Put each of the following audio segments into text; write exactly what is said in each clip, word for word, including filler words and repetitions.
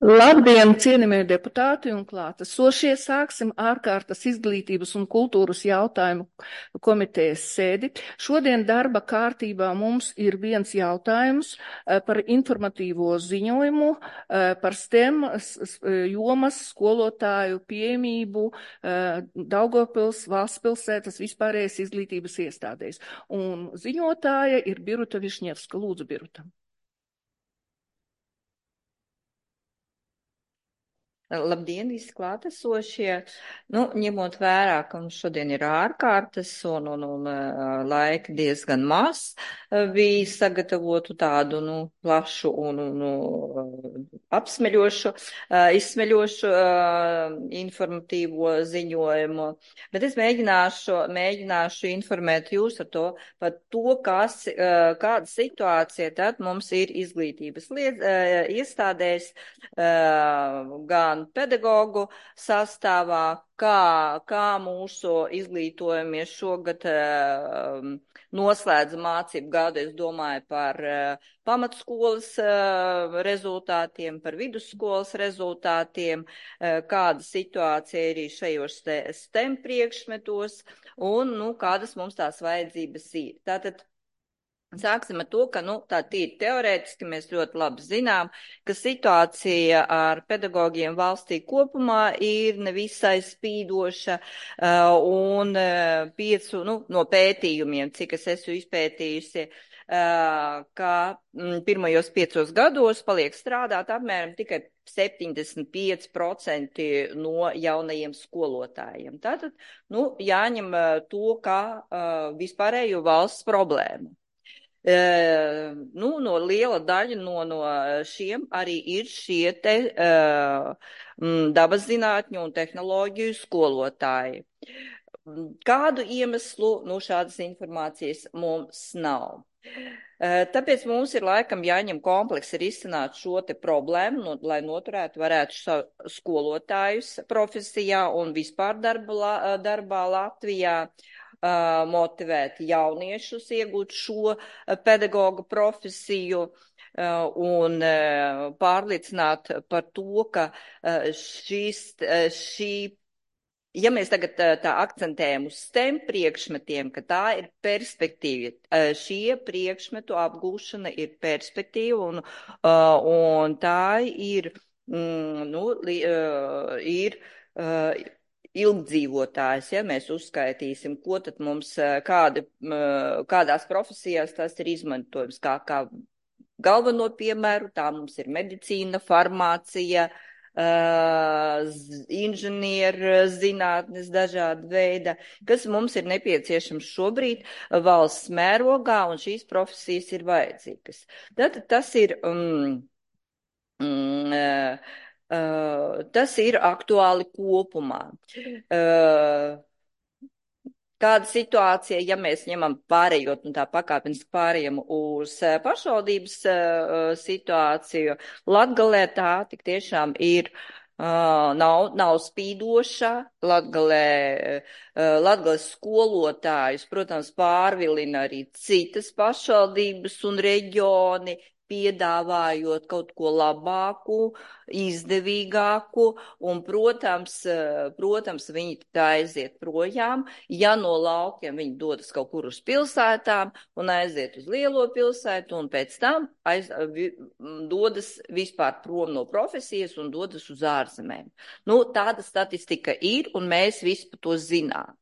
Labdien, cienījamie deputāti un klātesošie! Sāksim ārkārtas izglītības un kultūras jautājumu komitejas sēdi. Šodien darba kārtībā mums ir viens jautājums par informatīvo ziņojumu par STEM jomas skolotāju pieejamību Daugavpils valsts pilsētas vispārējais izglītības iestādēs. Un ziņotāja ir Biruta Višņevska. Lūdzu, Biruta. Labdien, visi klātesošie! Nu, ņemot vērā, ka mums šodien ir ārkārtas un, un, un laika diezgan maz, bija sagatavotu tādu, nu, plašu un, un apsmeļošu, izsmeļošu informatīvo ziņojumu. Bet es mēģināšu, mēģināšu informēt jūs ar to par to, kas, kāda situācija tad mums ir izglītības liet, iestādēs, gan pedagogu sastāvā, kā, kā mūsu izglītojamies šogad uh, noslēdza mācību gadu, es domāju par uh, pamatskolas uh, rezultātiem, par vidusskolas rezultātiem, uh, kāda situācija ir arī šajos STEM priekšmetos un, nu, kādas mums tās vajadzības ir. Tātad sāksim ar to, ka, nu, tā tīri teorētiski mēs ļoti labi zinām, ka situācija ar pedagogiem valstī kopumā ir nevisai spīdoša uh, un uh, piecu, nu, no pētījumiem, cik es esmu izpētījusi, uh, ka mm, pirmajos piecos gados paliek strādāt apmēram tikai septiņdesmit pieci procenti no jaunajiem skolotājiem. Tātad, nu, jāņem uh, to kā uh, vispārējo valsts problēmu. Uh, nu, no liela daļa no, no šiem arī ir šie te uh, dabas zinātņu un tehnoloģiju skolotāji. Kādu iemeslu, nu, šādas informācijas mums nav. Uh, tāpēc mums ir laikam jāņem kompleksi risināt šo te problēmu, no, lai noturētu varētu skolotājus profesijā un vispār darba, darbā Latvijā. Uh, motivēt jauniešus iegūt šo uh, pedagoga profesiju uh, un uh, pārliecināt par to, ka uh, šis, uh, šī, ja mēs tagad uh, tā akcentējam uz STEM priekšmetiem, ka tā ir perspektīva, uh, šie priekšmetu apgūšana ir perspektīva un, uh, un tā ir, mm, nu, li, uh, ir uh, ilgdzīvotājs, ja mēs uzskaitīsim, ko tad mums, kādi, kādās profesijās tas ir izmantojums, kā, kā galveno piemēru, tā mums ir medicīna, farmācija, inženieru zinātnes dažāda veida, kas mums ir nepieciešams šobrīd valsts mērogā, un šīs profesijas ir vajadzīgas. Tad tas ir... Um, um, Uh, tas ir aktuāli kopumā. Uh, kāda situācija, ja mēs ņemam pārējot, nu tā pakāpeniski pārējam uz uh, pašvaldības uh, situāciju, Latgalē tā tik tiešām ir uh, nav, nav spīdoša. Latgalē, uh, Latgales skolotājus, protams, pārvilina arī citas pašvaldības un reģioni, piedāvājot kaut ko labāku, izdevīgāku, un, protams, protams, viņi tā aiziet projām. Ja no laukiem viņi dodas kaut kur uz pilsētām un aiziet uz lielo pilsētu, un pēc tam aiz, vi, dodas vispār prom no profesijas un dodas uz ārzemēm. Nu, tāda statistika ir, un mēs visi par to zinām.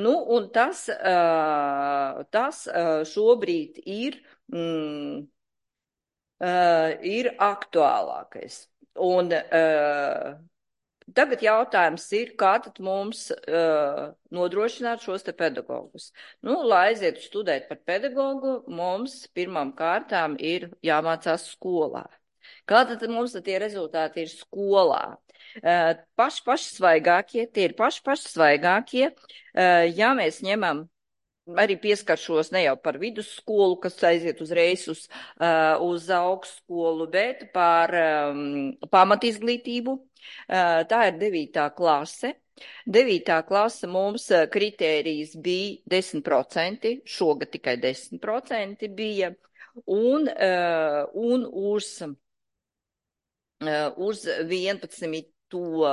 Nu, un tas, uh, tas uh, šobrīd ir... Mm, Uh, ir aktuālākais. Un uh, tagad jautājums ir, kā tad mums uh, nodrošināt šos te pedagogus. Nu, lai aizietu studēt par pedagogu, mums pirmām kārtām ir jāmācās skolā. Kā tad mums tie rezultāti ir skolā? Uh, paši paši svaigākie, tie ir paši paši svaigākie, uh, ja mēs ņemam arī pieskaršos ne jau par vidusskolu, kas aiziet uzreiz uz, uh, uz augstskolu, bet par um, pamatizglītību. Uh, tā ir devītā klase. Devītā klase mums kritērijas bija desmit procenti, šogad tikai desmit procenti bija, un, uh, un uz uz vienpadsmito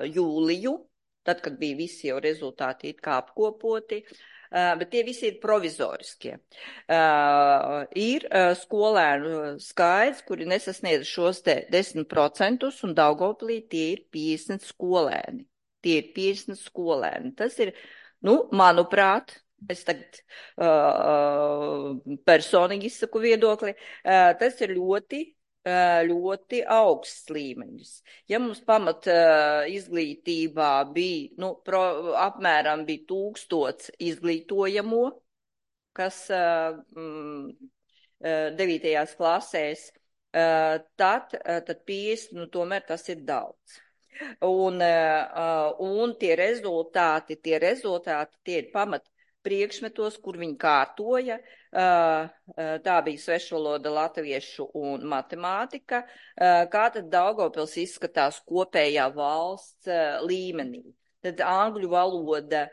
jūliju, tad, kad bija visi jau rezultāti it kā apkopoti, bet tie visi ir provizoriskie. Ir skolēnu skaits, kuri nesasniedz šos te desmit procentus, un Daugavpilī tie ir piecdesmit skolēni. Tie ir piecdesmit skolēni. Tas ir, nu, manuprāt, es tagad uh, personīgi izsaku viedokli, uh, tas ir ļoti ļoti augsts līmeņus. Ja mums pamat uh, izglītībā bija, nu, pro, apmēram bija tūkstots izglītojamo, kas uh, mm, devītajās klasēs, uh, tad, uh, tad piecdesmit, nu, tomēr tas ir daudz. Un, uh, un tie rezultāti, tie rezultāti, tie ir pamat priekšmetos, kur viņi kārtoja, tā bija svešvaloda, latviešu un matemātika, kā tad Daugavpils izskatās kopējā valsts līmenī. Tad angļu valoda,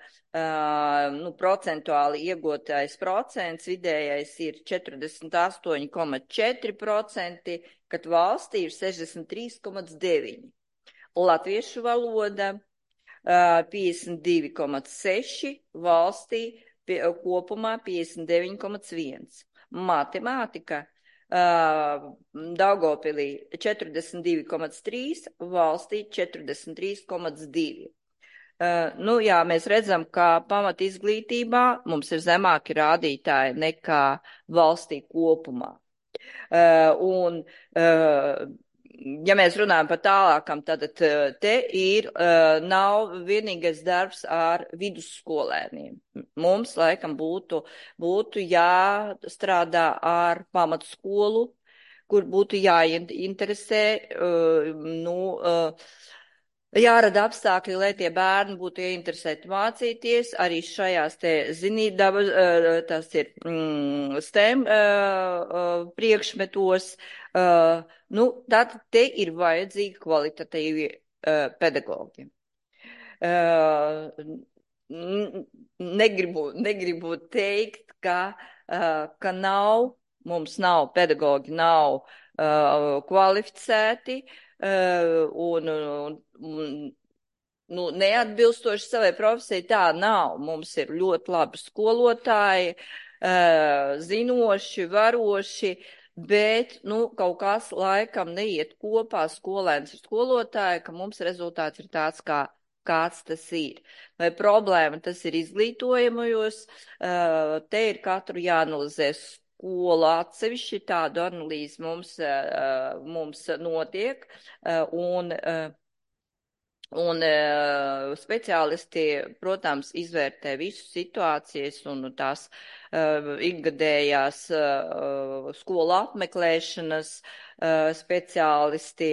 nu, procentuāli iegūtais procents, vidējais ir četrdesmit astoņi komats četri procenti, kad valstī ir sešdesmit trīs komats deviņi. Latviešu valoda piecdesmit divi komats seši, valstī pie, kopumā piecdesmit deviņi komats viens. Matemātika uh, Daugavpilī četrdesmit divi komats trīs, valstī četrdesmit trīs komats divi. Uh, nu jā, mēs redzam, ka pamat izglītībā mums ir zemāki rādītāji nekā valstī kopumā. Uh, un uh, Ja mēs runājam par tālākam, tad te ir, nav vienīgais darbs ar vidusskolēniem. Mums, laikam, būtu, būtu jāstrādā ar pamatskolu, kur būtu jāinteresē, nu, jārada apstākļi, lai tie bērni būtu ieinteresēti mācīties. Arī šajās te zinībdabas, tas ir mm, STEM priekšmetos. Nu, tātad te ir vajadzīgi kvalitatīvi pedagogi. Negribu, negribu teikt, ka, ka nav, mums nav pedagogi, nav kvalificēti, un, un, un nu, neatbilstoši savai profesijai tā nav. Mums ir ļoti labi skolotāji, zinoši, varoši, bet, nu, kaut kas laikam neiet kopā skolēns ar skolotāju, ka mums rezultāts ir tāds, kā, kāds tas ir. Vai problēma tas ir izglītojamajos, te ir katru jāanalizē skola atsevišķi, tādu analīzi mums, mums notiek, un, un speciālisti, protams, izvērtē visu situācijas un tās ikgadējās skolu apmeklēšanas, speciālisti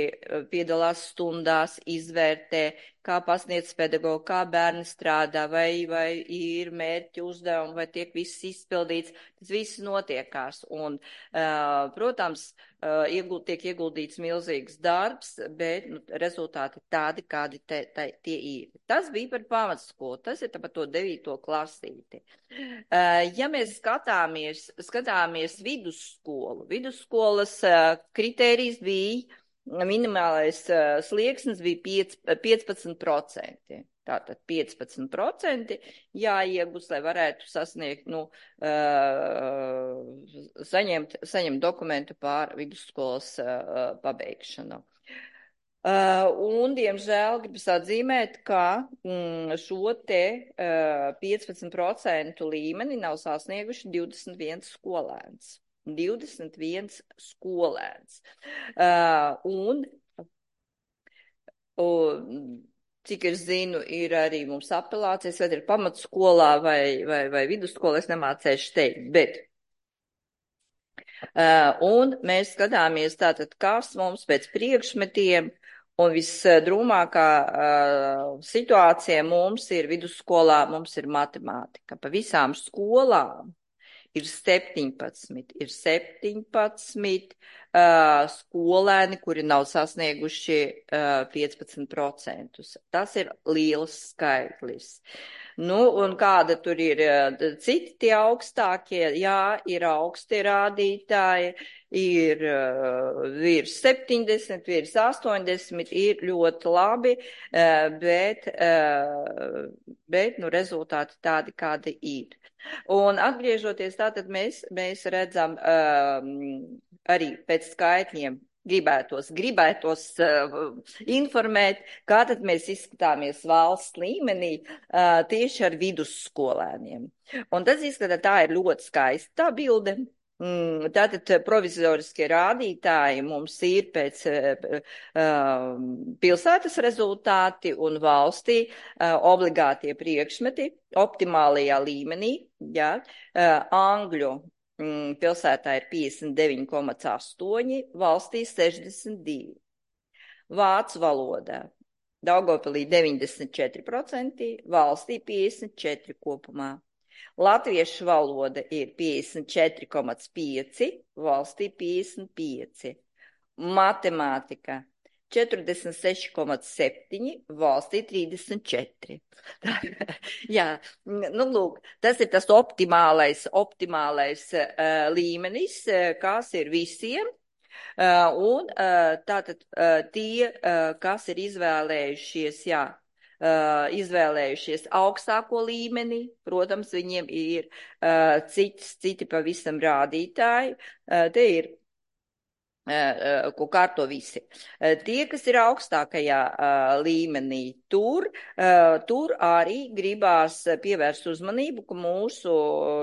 piedalās stundās, izvērtē, kā pasniedz pedagogu, kā bērni strādā, vai, vai ir mērķi uzdevumi, vai tiek viss izpildīts. Tas viss notiekās. Un, protams, ieguld, tiek ieguldīts milzīgs darbs, bet nu, rezultāti tādi, kādi te, te, tie ir. Tas bija par pamatskolu, tas ir par to devīto klasīti. Ja mēs skatāmies, skatāmies vidusskolu, vidusskolas kritērijs bija, minimālais slieksnis bija piecpadsmit procenti. Tātad piecpadsmit procenti jāiegūst, lai varētu sasniegt, nu, saņemt, saņemt dokumentu pār vidusskolas pabeigšanu. Un, diemžēl, gribas atzīmēt, ka šo te piecpadsmit procentu līmeni nav sasnieguši divdesmit viens skolēns. divdesmit viens skolēns. Un, un cik es zinu, ir arī mums apelācijas, vai ir pamatskolā vai, vai, vai vidusskolā, es nemācēšu teikt, bet. Uh, un mēs skatāmies tātad, kas mums pēc priekšmetiem, un visdrūmākā uh, situācija mums ir vidusskolā, mums ir matemātika. Pa visām skolām ir septiņpadsmit, ir septiņpadsmit uh, skolēni, kuri nav sasnieguši uh, piecpadsmit procentus. Tas ir liels skaitlis. Nu, un kāda tur ir citi tie augstākie? Jā, ir augsti rādītāji, ir uh, virs septiņdesmit, virs astoņdesmit, ir ļoti labi, uh, bet, uh, bet nu, rezultāti tādi, kādi ir. Un atgriežoties tātad mēs, mēs redzam um, arī pēc skaitļiem, gribētos, gribētos uh, informēt, kā tad mēs izskatāmies valsts līmenī uh, tieši ar vidusskolēniem. Un tas izskatā, tā ir ļoti skaista bilde. Mm, tātad provizoriskie rādītāji mums ir pēc uh, pilsētas rezultāti un valstī uh, obligātie priekšmeti optimālajā līmenī, jā, uh, angļu pilsētā ir piecdesmit deviņi komats astoņi, valstī sešdesmit divi. Vācu valodā Daugavpilī deviņdesmit četri procenti, valstī piecdesmit četri kopumā. Latviešu valoda ir piecdesmit četri komats pieci, valstī piecdesmit pieci. Matemātika četrdesmit seši komats septiņi, valstī trīsdesmit četri. Jā, nu lūk, tas ir tas optimālais, optimālais uh, līmenis, uh, kas ir visiem. Uh, un uh, tātad uh, tie, uh, kas ir izvēlējušies, jā, uh, izvēlējušies augstāko līmeni, protams, viņiem ir uh, cits, citi pavisam rādītāji. Uh, te ir ko kārto visi. Tie, kas ir augstākajā uh, līmenī, tur, uh, tur arī gribās pievērst uzmanību, ka mūsu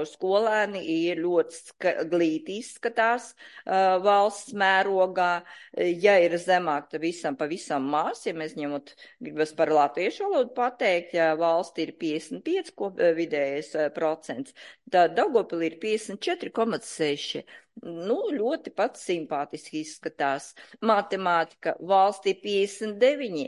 skolēni ir ļoti glīti izskatās uh, valsts mērogā. Ja ir zemāk, tad visam pavisam mās, ja mēs ņemot, gribas par latviešu valodu pateikt, ja valsti ir piecdesmit pieci ko, vidējais uh, procents, tad Daugavpilī ir piecdesmit četri komats seši. Nu, ļoti pats simpātiski izskatās. Matemātika valstī piecdesmit deviņi,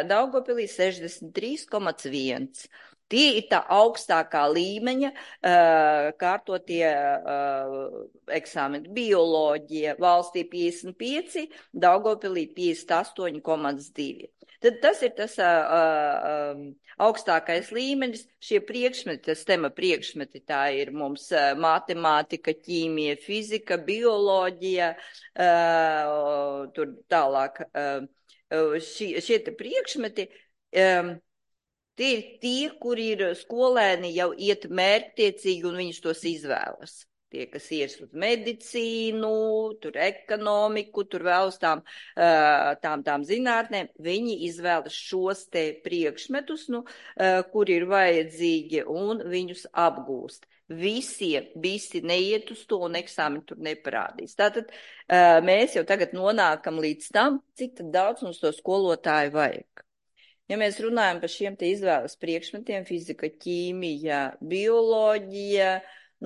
Daugavpilī sešdesmit trīs komats viens. Tie ir tā augstākā līmeņa uh, kārtotie uh, eksāmeni. Bioloģija valstī piecdesmit pieci, Daugavpilī piecdesmit astoņi komats divi. Tad tas ir tas uh, uh, augstākais līmenis. Šie priekšmeti, tas tema priekšmeti, tā ir mums uh, matemātika, ķīmija, fizika, bioloģija, uh, tur tālāk uh, šie, šie te priekšmeti. Um, Tie ir tie, kur ir skolēni jau iet mērķtiecīgi un viņus tos izvēlas. Tie, kas ies uz medicīnu, tur ekonomiku, tur vēl uz tām, tām, tām zinātnēm, viņi izvēlas šos te priekšmetus, nu, kur ir vajadzīgi un viņus apgūst. Visiem, visi neiet uz to un eksāmeni tur neparādīs. Tātad mēs jau tagad nonākam līdz tam, cik tad daudz mums to skolotāju vajag. Ja mēs runājam par šiem te izvēles priekšmetiem, fizika, ķīmija, bioloģija,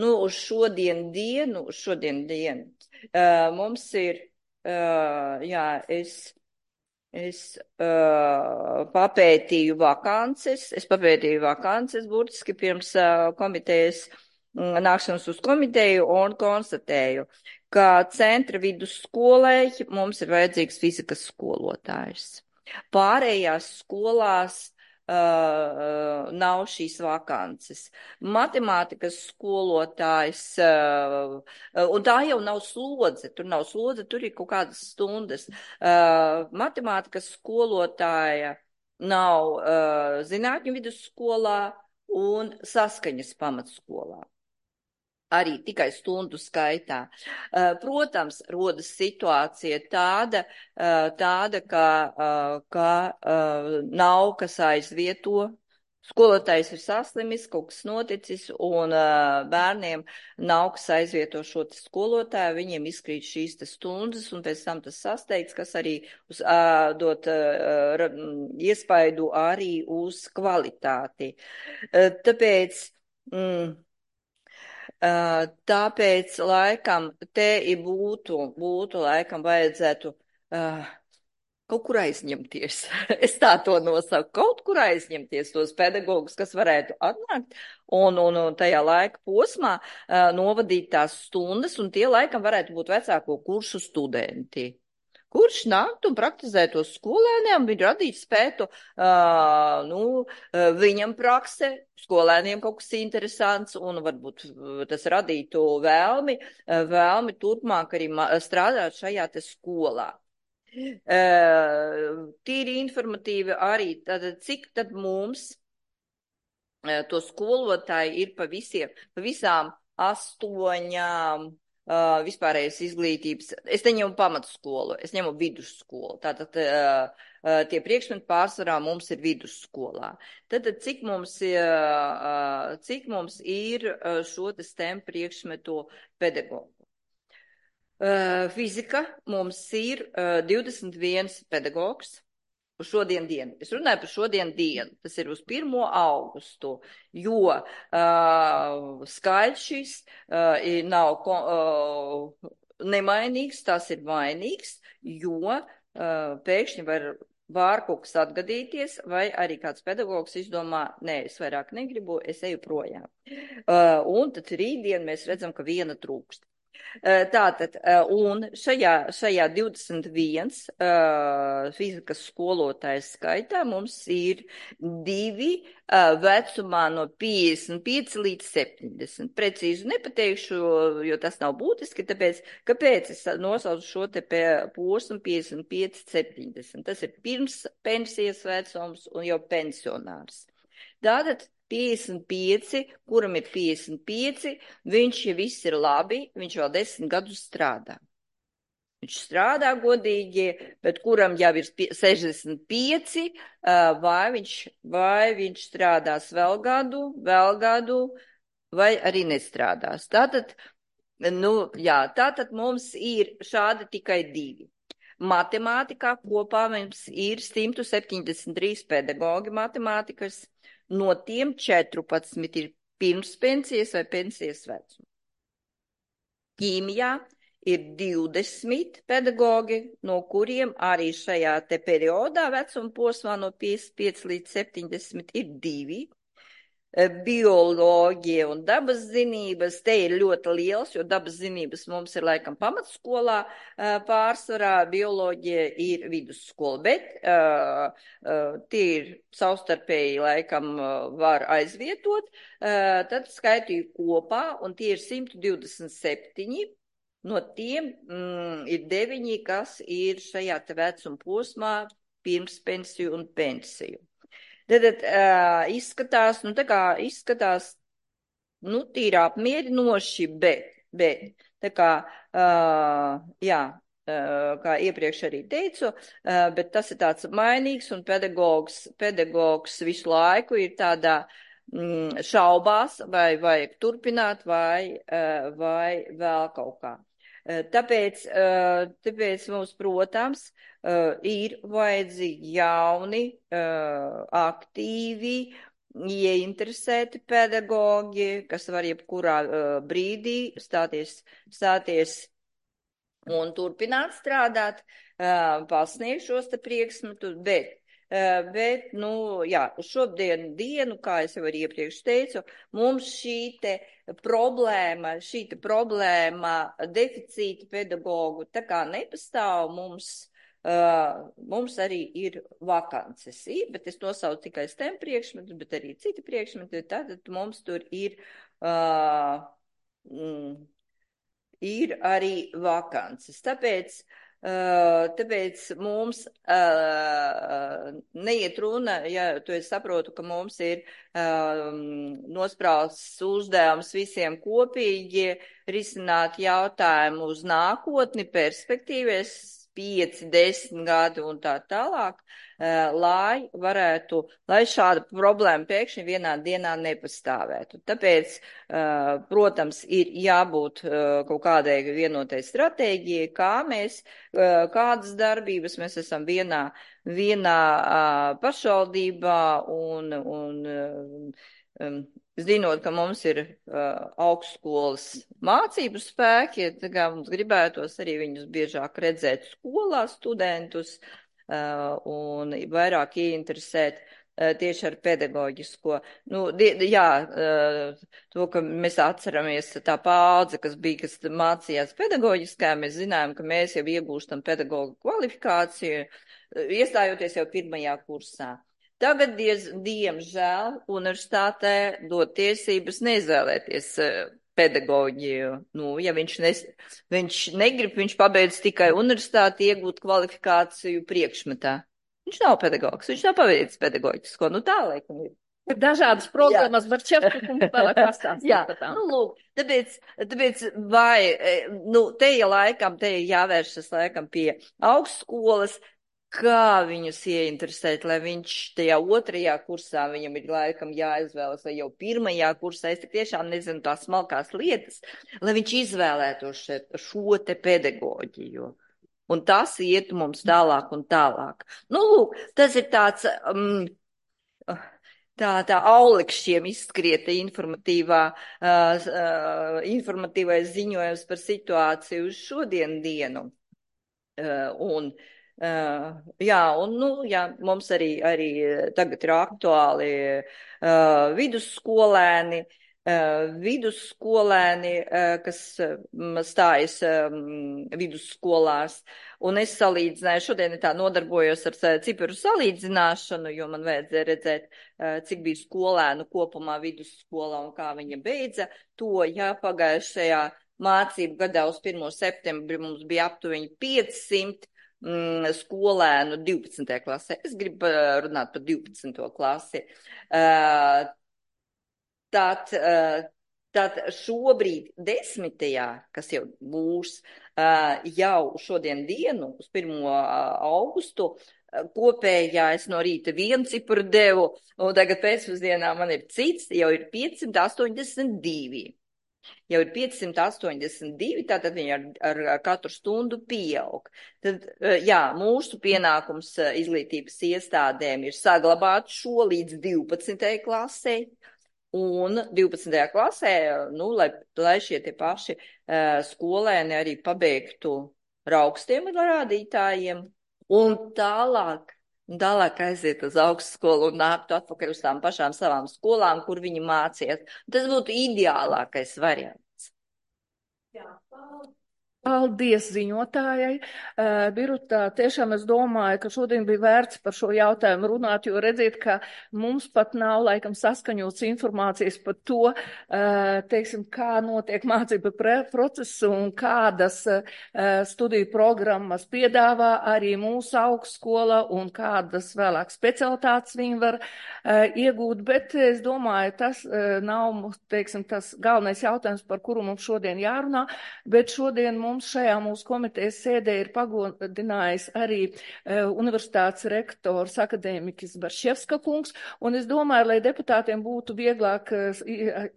nu, uz šodien dienu, uz šodien dienu, uh, mums ir, uh, jā, es, es uh, papētīju vakances, es papētīju vakances burtiski pirms uh, komitejas mm, nākšanas uz komiteju un konstatēju, ka centra vidusskolē mums ir vajadzīgs fizikas skolotājs. Pārējās skolās uh, nav šīs vakances. Matemātikas skolotājs, uh, un tā jau nav slodze, tur nav slodze, tur ir kaut kādas stundas. Uh, matemātikas skolotāja nav uh, zinātņu vidusskolā un saskaņas pamatskolā. Arī tikai stundu skaitā. Protams, rodas situācija tāda, tāda ka, ka nav kas aizvieto. Skolotājs ir saslimis, kaut kas noticis, un bērniem nav kas aizvieto šo skolotāju, viņiem izkrīt šīs te stundas, un pēc tam tas sasteigts, kas arī uz, dot iespaidu arī uz kvalitāti. Tāpēc... Mm, Tāpēc, laikam, te būtu, būtu laikam vajadzētu uh, kaut kur aizņemties. Es tā to nosaku, kaut kur aizņemties tos pedagogus, kas varētu atnākt un, un, un tajā laika posmā uh, novadīt tās stundas, un tie laikam varētu būt vecāko kursu studenti. Kurš nāktu un praktizētu uz skolēniem, viņi radīt spētu, uh, nu, uh, viņam prakse, skolēniem kaut kas interesants, un varbūt tas radītu vēlmi, uh, vēlmi turpmāk arī strādāt šajā te skolā. Uh, tīri informatīvi arī, tad cik tad mums uh, to skolotāji ir pa visiem, pa visām astoņām uh, vispārējais izglītības, es neņemu pamatskolu, es ņemu vidusskolu, tātad uh, uh, tie priekšmeti pārsvarā mums ir vidusskolā. Tad cik mums, uh, cik mums ir uh, šo te STEM priekšmetu pedagogu? Uh, fizika mums ir uh, divdesmit viens pedagogs uz šodien dienu. Es runāju par šodien dienu, tas ir uz pirmo augustu, jo uh, skaits šis uh, nav uh, nemainīgs, tas ir mainīgs, jo uh, pēkšņi var, var kaut kas atgadīties, vai arī kāds pedagogs izdomā, nē, es vairāk negribu, es eju projām. Uh, un tad rītdien mēs redzam, ka viena trūkst. Tātad, un šajā, šajā divdesmit viens uh, fizikas skolotājas skaitā mums ir divi uh, vecumā no piecdesmit pieci līdz septiņdesmit. Precīzi nepateikšu, jo tas nav būtiski, tāpēc, kāpēc es nosaucu šo te posmu piecdesmit pieci septiņdesmit. Tas ir pirms pensijas vecums un jau pensionārs. Tātad piecdesmit pieci, kuram ir piecdesmit pieci, viņš, ja viss ir labi, viņš vēl desmit gadus strādā. Viņš strādā godīgi, bet kuram jau ir sešdesmit pieci, vai viņš, vai viņš strādās vēl gadu, vēl gadu, vai arī nestrādās. Tātad, nu, jā, tātad mums ir šādi tikai divi. Matemātikā kopā mums ir simt septiņdesmit trīs pedagogi matemātikas. No tiem četrpadsmit ir pirms pensijas vai pensijas vecuma. Ķīmijā ir divdesmit pedagogi, no kuriem arī šajā te periodā vecuma posmā no piecdesmit pieci līdz septiņdesmit ir divi. Bioloģija un dabas zinības, te ir ļoti liels, jo dabas zinības mums ir laikam pamatskolā pārsvarā, bioloģija ir vidusskola, bet uh, uh, tie ir savstarpēji laikam var aizvietot, uh, tad skaitīju kopā, un tie ir simt divdesmit septiņi, no tiem mm, ir deviņi, kas ir šajā te vecuma posmā pirms pensiju un pensiju. Tad uh, izskatās, nu tā kā izskatās, nu tīri apmierinoši, bet, bet, tā kā, uh, jā, uh, kā iepriekš arī teicu, uh, bet tas ir tāds mainīgs un pedagogs, pedagogs visu laiku ir tādā mm, šaubās, vai vajag turpināt, vai, uh, vai vēl kaut kā. Tāpēc, tāpēc mums, protams, ir vajadzīgi jauni, aktīvi, ieinteresēti pedagogi, kas var jebkurā brīdī stāties, stāties un turpināt strādāt, pasniegt šos te priekšmetus, bet Bet, nu, jā, uz šodien dienu, kā es jau arī iepriekš teicu, mums šī te problēma, šī te problēma deficīta pedagogu tā kā nepastāv, mums, uh, mums arī ir vakances, bet es nosaucu tikai STEM priekšmetus, bet arī citi priekšmeti, tātad mums tur ir, uh, mm, ir arī vakances. Tāpēc, Uh, tāpēc mums uh, neiet runa, ja tu es saprotu, ka mums ir uh, nosprausts uzdevums visiem kopīgi risināt jautājumu uz nākotni, perspektīvies, pieci, desmit gadi un tā tālāk, uh, lai varētu, lai šāda problēma pēkšņi vienā dienā nepastāvētu. Tāpēc, uh, protams, ir jābūt uh, kaut kādai vienotai stratēģijai, kā mēs, uh, kādas darbības mēs esam vienā, vienā uh, pašvaldībā un, un uh, um, zinot, ka mums ir uh, augstskolas mācību spēki, tā kā mums gribētos arī viņus biežāk redzēt skolā studentus, un vairāk ieinteresēt tieši ar pedagoģisko. Nu, jā, to, ka mēs atceramies tā paudze, kas bija, kas mācījās pedagoģiskā, mēs zinājām, ka mēs jau iegūstam pedagogu kvalifikāciju, iestājoties jau pirmajā kursā. Tagad, diez, diemžēl, universitātē dod tiesības neizvēlēties pedagoģiju. Nu, ja viņš, nes, viņš negrib, viņš pabeidz tikai universitāti iegūt kvalifikāciju priekšmetā. Viņš nav pedagogs, viņš nav paveicis pedagoģisko, nu tā laikam ir. Ir dažādas programmas, var Čevska kungs vēlāk pastāstīt. Jā, nu lūk, tāpēc, tāpēc vai, nu te ja laikam, te jāvēršas laikam pie augstskolas, kā viņus ieinteresēt, lai viņš tajā otrajā kursā, viņam ir laikam jāizvēlas, vai jau pirmajā kursā, es tik tiešām nezinu tās smalkās lietas, lai viņš izvēlētos šo, šo te pedagoģiju. Un tas iet mums tālāk un tālāk. Nu, lūk, tas ir tāds, um, tā, tā aulikšķiem izskrieta informatīvā, uh, uh, informatīvais ziņojums par situāciju uz šodien dienu. Uh, un, uh, jā, un, nu, jā, mums arī, arī tagad ir aktuāli uh, vidusskolēni, Uh, vidusskolēni, uh, kas um, stājas um, vidusskolās, un es salīdzināju, šodien tā nodarbojos ar ciparu salīdzināšanu, jo man vajadzēja redzēt, uh, cik bija skolēnu kopumā vidusskolā un kā viņa beidza to, ja pagājušajā mācību gadā uz pirmo septembri mums bija aptuveni piecsimt mm, skolēnu divpadsmitajā klasē. Es gribu runāt par divpadsmito klasi. Uh, Tad, tad šobrīd desmitajā, kas jau būs jau šodien dienu, uz pirmo augustu, kopējais no rīta vienu cipru devu, un tagad pēcpusdienā man ir cits, jau ir piecsimt astoņdesmit divi. Jau ir piecsimt astoņdesmit divi, tātad viņi ar, ar, ar katru stundu pieaug. Tad, jā, mūsu pienākums izglītības iestādēm ir saglabāt šo līdz divpadsmitajai klasei. Un divpadsmitajā klasē, nu, lai, lai šie tie paši uh, skolēni arī pabeigtu ar augstiem rādītājiem un tālāk, tālāk aiziet uz augstskolu un nāktu atpakaļ uz tām pašām savām skolām, kur viņi mācījās. Tas būtu ideālākais variants. Jā, paldies. Paldies ziņotājai. Uh, Birutā, tiešām es domāju, ka šodien bija vērts par šo jautājumu runāt, jo redziet, ka mums pat nav laikam saskaņots informācijas par to, uh, teiksim, kā notiek mācība procesu un kādas uh, studiju programmas piedāvā arī mūsu augstskola un kādas vēlāk specialitātes viņi var uh, iegūt, bet es domāju, tas uh, nav, teiksim, tas galvenais jautājums, par kuru mums šodien jārunā, bet šodien mums Mums šajā mūsu komitejas sēdē ir pagodinājis arī uh, universitātes rektors akadēmiķis Barševska kungs, un es domāju, lai deputātiem būtu vieglāk uh,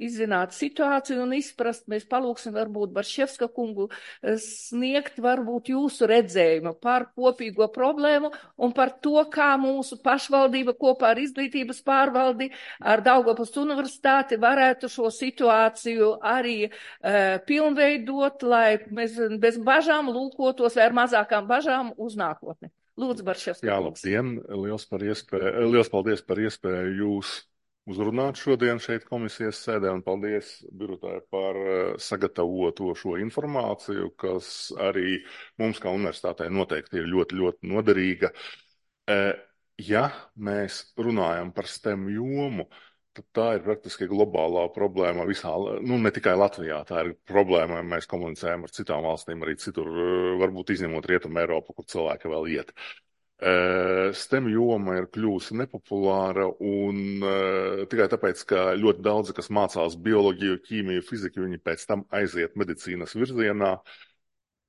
izzināt situāciju un izprast, mēs palūksim varbūt Barševska kungu uh, sniegt varbūt jūsu redzējumu par kopīgo problēmu un par to, kā mūsu pašvaldība kopā ar izglītības pārvaldi, ar Daugavpils universitāti varētu šo situāciju arī uh, pilnveidot, lai mēs bez bažām lūkotos vai ar mazākām bažām uz nākotni. Lūdzu, Barševska. Jā, labdien. Liels, par iespēju, liels paldies par iespēju jūs uzrunāt šodien šeit komisijas sēdē un paldies Birutai par sagatavoto šo informāciju, kas arī mums kā universitātei noteikti ir ļoti, ļoti noderīga. Ja mēs runājam par STEM jomu, tad tā ir praktiski globālā problēma visā, nu ne tikai Latvijā, tā ir problēma, mēs komunicējam ar citām valstīm, arī citur, varbūt izņemot Rietumu Eiropu, kur cilvēki vēl iet. STEM joma ir kļūsi nepopulāra un tikai tāpēc, ka ļoti daudzi, kas mācās bioloģiju, ķīmiju, fiziku, viņi pēc tam aiziet medicīnas virzienā,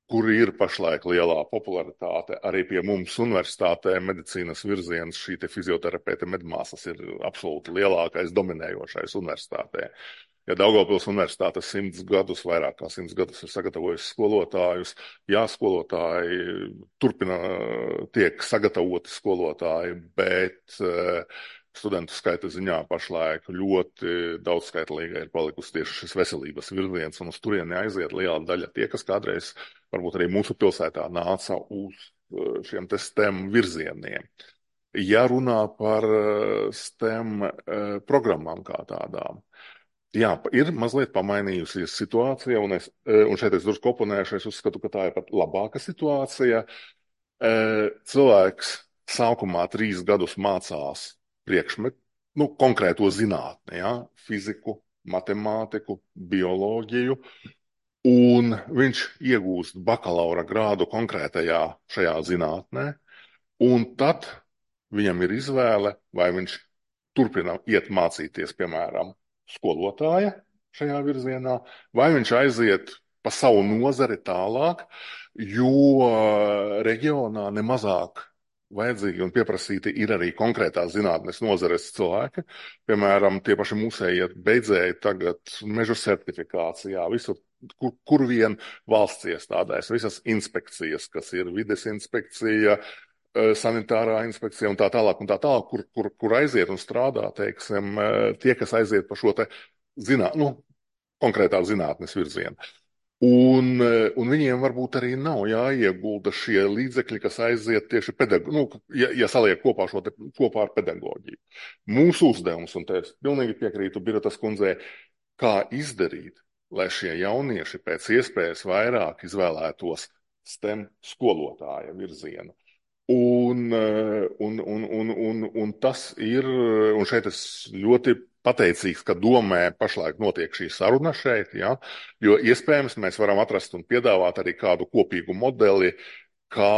kur ir pašlaik lielā popularitāte. Arī pie mums universitātē medicīnas virziens, šī te fizioterapeita medmāsas ir absolūti lielākais, dominējošais universitātē. Ja Daugavpils universitāte simts gadus, vairāk kā simts gadus ir sagatavojusi skolotājus, jā, skolotāji turpina, tiek sagatavoti skolotāji, bet studentu skaita ziņā pašlaik ļoti daudzskaitlīga ir palikusi tieši šis veselības virziens, un uz turieni aiziet liela daļa tie, kas kādreiz varbūt arī mūsu pilsētā nāca uz šiem te STEM virzieniem. Ja runā par STEM programmām kā tādām, jā, ir mazliet pamainījusies situācija, un, es, un šeit es drusku oponēšu, es uzskatu, ka tā ir pat labāka situācija. Cilvēks sākumā trīs gadus mācās priekšmetu, nu, konkrēto zinātni, ja, fiziku, matemātiku, bioloģiju, un viņš iegūst bakalaura grādu konkrētajā šajā zinātnē, un tad viņam ir izvēle, vai viņš turpina iet mācīties, piemēram, skolotāja šajā virzienā, vai viņš aiziet pa savu nozari tālāk, jo reģionā nemazāk vajadzīgi un pieprasīti ir arī konkrētās zinātnes nozares cilvēki. Piemēram, tie paši musēji beidzēji tagad mežu certifikācijā, visur, kur, kur vien valsts iestādēs, visas inspekcijas, kas ir vides inspekcija, sanitārā inspekcija un tā tālāk, un tā tālāk, kur, kur, kur aiziet un strādā, teiksim, tie, kas aiziet pa šo te zināt, nu, konkrētā zinātnes virzienu. Un, un viņiem varbūt arī nav jāiegulda šie līdzekļi, kas aiziet tieši pedagoģi, nu, ja, ja saliek kopā šo te, kopā ar pedagoģiju. Mūsu uzdevums, un te es pilnīgi piekrītu Birutas kundzei, kā izdarīt, lai šie jaunieši pēc iespējas vairāk izvēlētos STEM skolotāja virzienu. Un, un, un, un, un, un tas ir, un šeit es ļoti pateicīgs, ka domē pašlaik notiek šī saruna šeit, ja, jo iespējams mēs varam atrast un piedāvāt arī kādu kopīgu modeli, kā,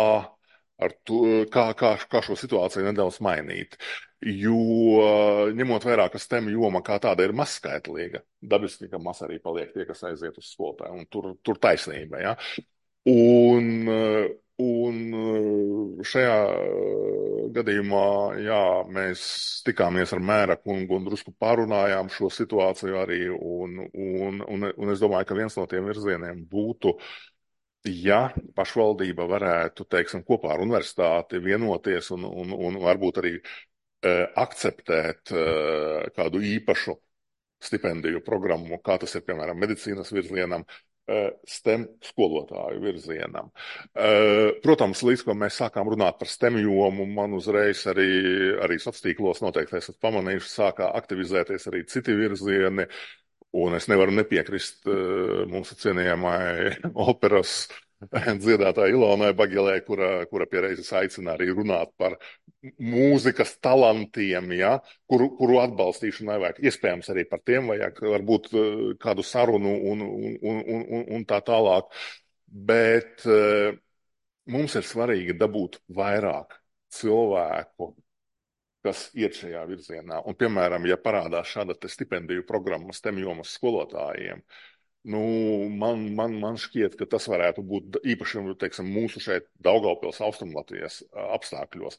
ar to, kā, kā, kā šo situāciju nedaudz mainīt. Jo ņemot vērā, ka STEM joma kā tāda ir mazskaitlīga, dabiski, ka maz arī paliek tie, kas aiziet uz skolotāju, un tur, tur taisnība, ja. Un, un šajā gadījumā, jā, mēs tikāmies ar mēra kungu un drusku pārunājām šo situāciju arī, un, un, un, un es domāju, ka viens no tiem virzieniem būtu, ja pašvaldība varētu, teiksim, kopā ar universitāti vienoties un, un, un varbūt arī uh, akceptēt uh, kādu īpašu stipendiju programmu, kā tas ir, piemēram, medicīnas virzienam, STEM skolotāju virzienam. Protams, līdz ko mēs sākām runāt par STEM jomu, man uzreiz arī, arī sociālos tīklos noteikti esat pamanījuši, sākā aktivizēties arī citi virzieni, un es nevaru nepiekrist mūsu cienījamai operas dziedātāja Ilonai Bagilē, kura, kura piereizes aicina arī runāt par mūzikas talantiem, ja, kuru, kuru atbalstīšanai vajag. Iespējams arī par tiem vajag varbūt kādu sarunu un, un, un, un, un tā tālāk. Bet uh, mums ir svarīgi dabūt vairāk cilvēku, kas iet šajā virzienā. Un, piemēram, ja parādās šāda te stipendiju programma STEM jomas skolotājiem, nu, man, man, man šķiet, ka tas varētu būt īpaši, teiksim, mūsu šeit Daugavpils Austrumlatvijas apstākļos.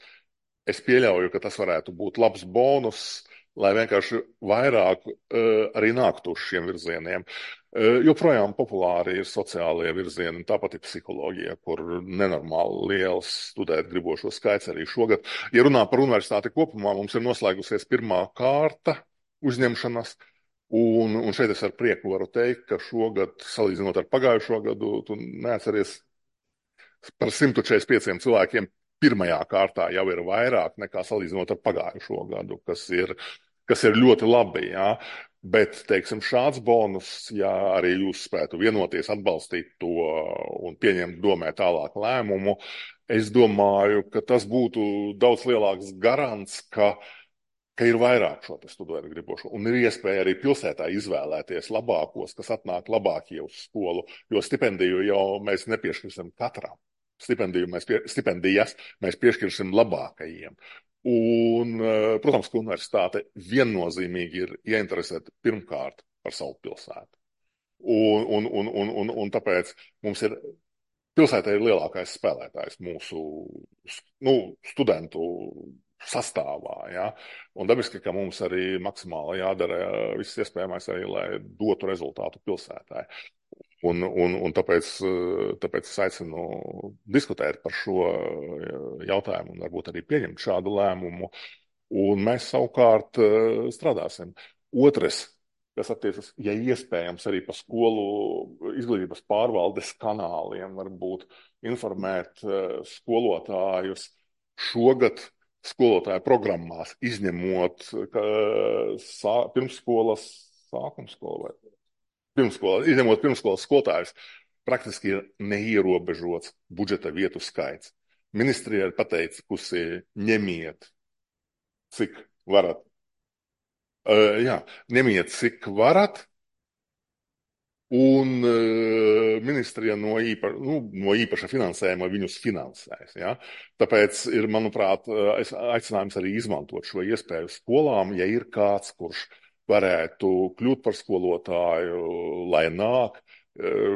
Es pieļauju, ka tas varētu būt labs bonus, lai vienkārši vairāk uh, arī nāktu uz šiem virzieniem. Uh, joprojām populāri ir sociālie virzieni, tāpat ir psiholoģija, kur nenormāli liels studēt gribošo skaits arī šogad. Ja runā par universitāti kopumā, mums ir noslēgusies pirmā kārta uzņemšanas. Un, un šeit es ar prieku varu teikt, ka šogad, salīdzinot ar pagājušo gadu, tu neatceries par simt četrdesmit pieciem cilvēkiem pirmajā kārtā jau ir vairāk nekā salīdzinot ar pagājušo gadu, kas ir, kas ir ļoti labi, jā. Bet, teiksim, šāds bonus, ja arī jūs spētu vienoties, atbalstīt to un pieņemt domē tālāk lēmumu, es domāju, ka tas būtu daudz lielāks garants, ka ka ir vairāk šo te studēt gribošo, un ir iespēja arī pilsētā izvēlēties labākos, kas atnāk labākie uz skolu, jo stipendiju jau mēs nepiešķirsim katram. Stipendiju mēs pie, stipendijas mēs piešķirsim labākajiem. Un, protams, ka universitāte viennozīmīgi ir ieinteresēta pirmkārt par savu pilsētu. Un, un, un, un, un, un tāpēc mums ir, pilsētā ir lielākais spēlētājs mūsu, nu, studentu sastāvā, ja? Un dabiski, ka mums arī maksimāli jādara viss iespējamais arī, lai dotu rezultātu pilsētāji. Un, un, un tāpēc, tāpēc es aicinu diskutēt par šo jautājumu un varbūt arī pieņemt šādu lēmumu. Un mēs savukārt strādāsim. Otrs, kas attiecas, ja iespējams, arī pa skolu izglītības pārvaldes kanāliem varbūt informēt uh, skolotājus šogad skolotāju programmās, izņemot ka, sā, pirmsskolas sākumskolu vai pirmsskolas, izņemot pirmsskolas skolotājus, praktiski ir neierobežots budžeta vietu skaits. Ministrija ir pateikusi, ņemiet, cik varat. Uh, jā, ņemiet, cik varat, un uh, ministrija no, īpa, nu, no īpaša finansējuma viņus finansēs. Ja? Tāpēc ir, manuprāt, aicinājums arī izmantot šo iespēju skolām, ja ir kāds, kurš varētu kļūt par skolotāju, lai nāk.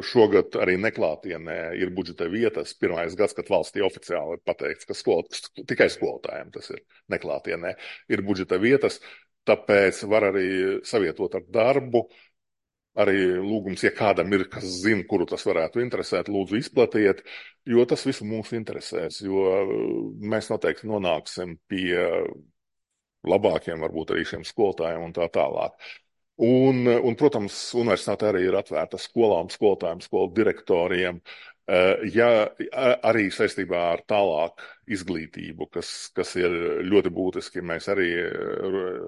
Šogad arī neklātienē ir budžeta vietas. Pirmais gads, kad valstī oficiāli ir pateikts, ka skol, tikai skolotājiem tas ir neklātienē, ir budžeta vietas. Tāpēc var arī savietot ar darbu. Arī lūgums, ja kādam ir, kas zina, kuru tas varētu interesēt, lūdzu izplatiet, jo tas visu mūs interesēs, jo mēs noteikti nonāksim pie labākiem, varbūt arī šiem skolotājiem un tā tālāk. Un, un protams, universitāte arī ir atvērta skolām, skolotājiem, skolu direktoriem, ja arī saistībā ar tālāk izglītību, kas, kas ir ļoti būtiski. Mēs arī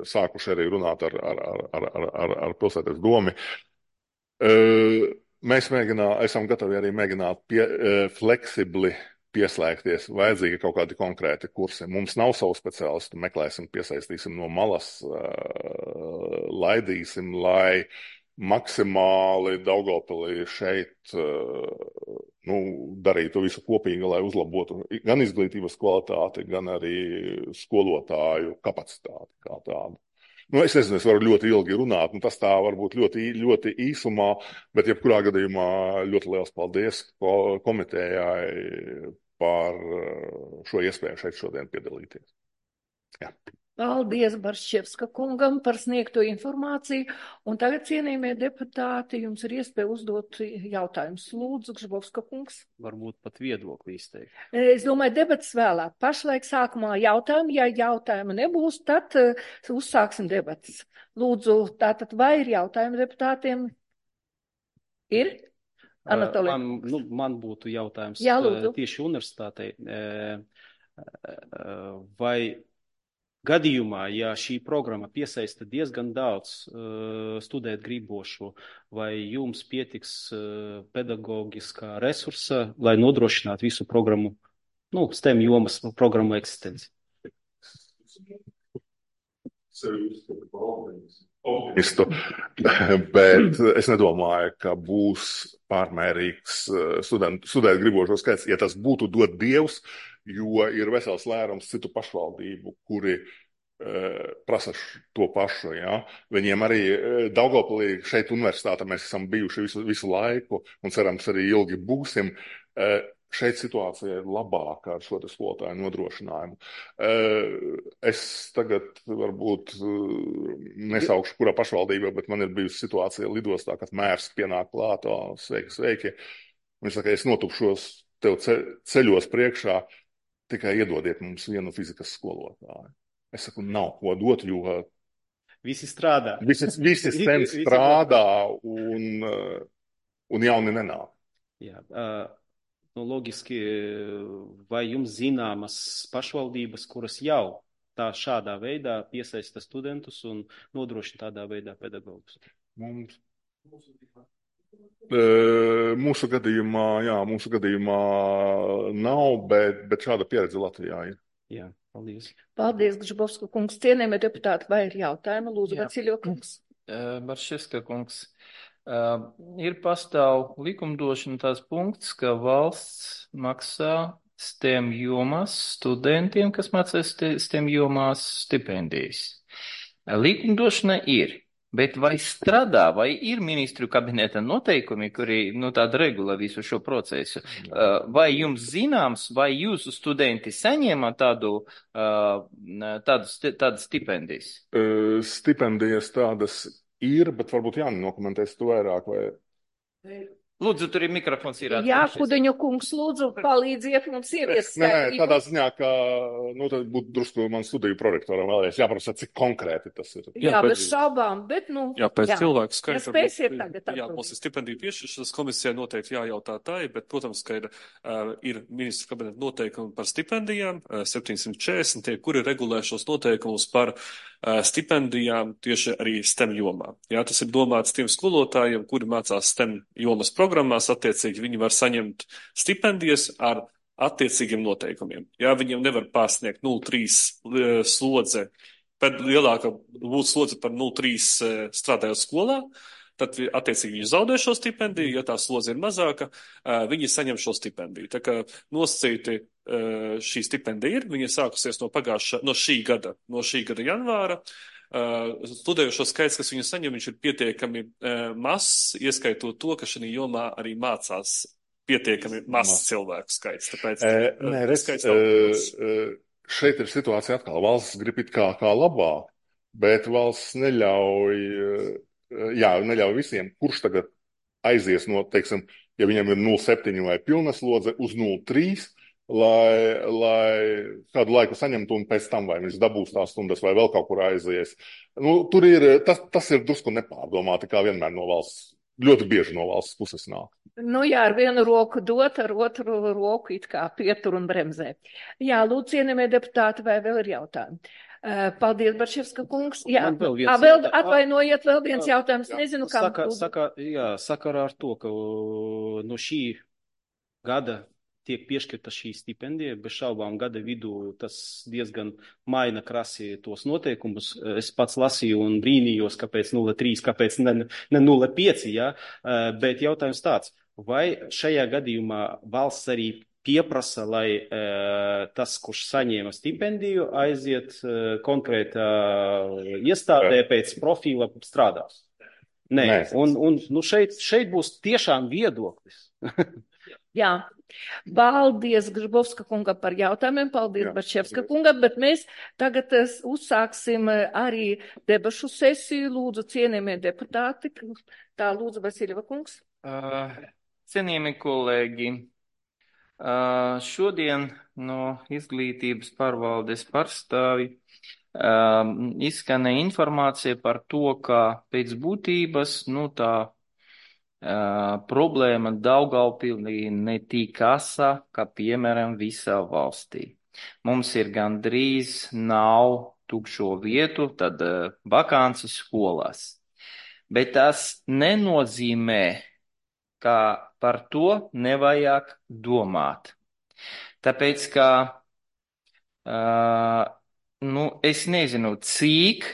sākuši arī runāt ar, ar, ar, ar, ar, ar pilsētas domi. Mēs mēģinā, esam gatavi arī mēģināt pie, fleksibli pieslēgties, vajadzīgi kaut kādi konkrēti kursi. Mums nav savu speciālistu, meklēsim, piesaistīsim no malas, laidīsim, lai maksimāli Daugavpilī šeit nu, darītu visu kopīgi, lai uzlabotu gan izglītības kvalitāti, gan arī skolotāju kapacitāti kā tādu. Nu, es nezinu, es varu ļoti ilgi runāt, un tas tā varbūt ļoti, ļoti īsumā, bet jebkurā gadījumā ļoti liels paldies komitejai par šo iespēju šeit šodien piedalīties. Jā. Paldies Baršķevska kungam par sniegto informāciju, un tagad, cienījamie deputāti, jums ir iespēja uzdot jautājumus. Lūdzu, Gžbovska kungs. Varbūt pat viedokli izteikt. Es domāju, debats vēlāk. Pašlaik sākumā jautājumu, ja jautājumu nebūs, tad uh, uzsāksim debatas. Lūdzu, tātad vai ir jautājumi deputātiem? Ir? Anatolij. Man, nu, man būtu jautājums Jā, lūdzu. Tieši universitātei. Vai gadījumā, ja šī programma piesaista diezgan daudz uh, studēt gribošo, vai jums pietiks uh, pedagoģiskā resursa, lai nodrošinātu visu programmu, nu, STEM jomas programmu eksistenci? Optimistu, bet es nedomāju, ka būs pārmērīgs studentu, studēt gribošo skaits, ja tas būtu dot Dievs, jo ir vesels lērums citu pašvaldību, kuri uh, prasa to pašu. Ja? Viņiem arī uh, Daugavpilī šeit universitāte mēs esam bijuši visu, visu laiku un cerams arī ilgi būsim. Uh, Šeit situācija ir labāka ar šo skolotāju nodrošinājumu. Es tagad varbūt nesaukšu, kurā pašvaldībā, bet man ir bijusi situācija lidostā, kad mērs pienāk klātā, sveiki, sveiki. Viņš saka, es notupšos tev ceļos priekšā, tikai iedodiet mums vienu fizikas skolotāju. Es saku, nav ko dot, jo visi strādā. Visi, visi sen strādā un, un jauni nenāk. Jā, uh... Nu, loģiski, vai jums zināmas pašvaldības, kuras jau tā šādā veidā piesaista studentus un nodrošina tādā veidā pedagogus? Mums, mūsu gadījumā, jā, mūsu gadījumā nav, bet, bet šāda pieredze Latvijā ir. Jā, paldies. Paldies, Gžbovska kungs. Cienījamie deputāti, vai ir jautājumi? Lūdzu, Vaciļo kungs. Baršķevska kungs. Uh, ir pastāv likumdošana tās punkts, ka valsts maksā STEM jomās studentiem, kas mācās STEM jomās stipendijas. Likumdošana ir, bet vai strādā, vai ir ministru kabineta noteikumi, kuri, nu, tāda regula visu šo procesu? Uh, vai jums zināms, vai jūsu studenti saņēma tādu, uh, tādu, tādu stipendijas? Uh, stipendijas tādas ir, bet varbūt Jāni nokomentēs to vairāk. Vai... Lūdzu, tur ir mikrofons ir Jā, atsevišķis. Kudeņu kungs, lūdzu, palīdziet mums ieviest Nē, nē, skaidrību. tādā ziņā, ka, nu, tad būtu drusku man studiju prorektoram vēlreiz jāprasa, cik konkrēti tas ir. Jā, Jā, bez pēc- šaubām, bet, nu, Jā, pēc jā. cilvēku Ja skaita. spēsiet varbūt, tagad Jā, atbildēt. mums ir stipendiju piešķiršanas komisijai noteikti jājautā tā, bet, protams, ka ir, uh, ir ministru kabineta noteikumi par stipendijām, uh, septiņsimt četrdesmit, tie, kuri regulē šos noteikumus par uh, stipendijām tieši arī STEM jomā. Jā, tas ir domāts tiem skolotājiem, kuri mācās STEM jomas programmās, attiecīgi viņi var saņemt stipendijas ar attiecīgiem noteikumiem. Jā, viņiem nevar pārsniegt nulle trīs uh, slodze, bet lielāka būtu slodze par nulle trīs uh, strādājot skolā, tad attiecīgi viņi zaudē šo stipendiju, ja tā slodze ir mazāka, uh, viņi saņem šo stipendiju. Tā kā nosacīti uh, šī stipendija ir, viņa sākusies no pagājušā, no šī gada, no šī gada janvāra. Uh, studējošo skaits, kas viņu saņem, viņš ir pietiekami uh, mazs, ieskaitot to, ka šī jomā arī mācās pietiekami mazs cilvēku skaits. Tāpēc E, uh, nē, redz, skaits e, nav liels. e, šeit ir situācija atkal. Valsts grib it kā, kā labāk, bet valsts neļauj, e, jā, neļauj visiem, kurš tagad aizies no, teiksim, ja viņam ir nulle septiņi vai pilna slodze uz nulle trīs, lai, lai kādu laiku saņemtu un pēc tam vai viņš dabūs tās stundas vai vēl kaut kur aizies. Nu, tur ir, tas, tas ir drusku nepārdomāti, kā vienmēr no valsts, ļoti bieži no valsts puses nāk. Nu jā, ar vienu roku dot, ar otru roku it kā pietur un bremzē. Jā, lūdzu, cienījamie deputāti, vai vēl ir jautājumi? Uh, Paldies, Barševska kungs. Jā, Man vēl viens Ā, vēl, jautā- atvainojiet, vēl viens jautājums. Jā. Nezinu, kam. Saka, saka, jā, sakarā ar to, ka uh, no šī gada tiek piešķirta šī stipendija, bez šaubām gada vidū tas diezgan maina krasi tos noteikumus. Es pats lasīju un brīnījos, kāpēc nulle trīs, kāpēc ne, ne nulle pieci, jā, Uh, bet jautājums tāds, vai šajā gadījumā valsts arī pieprasa, lai uh, tas, kurš saņēma stipendiju, aiziet uh, konkrētā iestādē pēc profila strādās? Nē, Nē. un, un nu šeit, šeit būs tiešām viedoklis. Jā, paldies Gržbovska kunga par jautājumiem, paldies Jā, Barševska paldies. kunga, bet mēs tagad eh, uzsāksim eh, arī debašu sesiju. Lūdzu, cienījamie deputāti, tā lūdzu Vasiljeva kungs. Uh, cienījami kolēģi, uh, šodien no izglītības pārvaldes pārstāvi uh, izskanēja informācija par to, ka pēc būtības, nu tā uh, problēma Daugavpilī ne tik asa, kā piemēram visā valstī. Mums ir gandrīz nav tukšo vietu, tad uh, vakances skolās. Bet tas nenozīmē, ka par to nevajag domāt. Tāpēc, ka, uh, nu, es nezinu, cik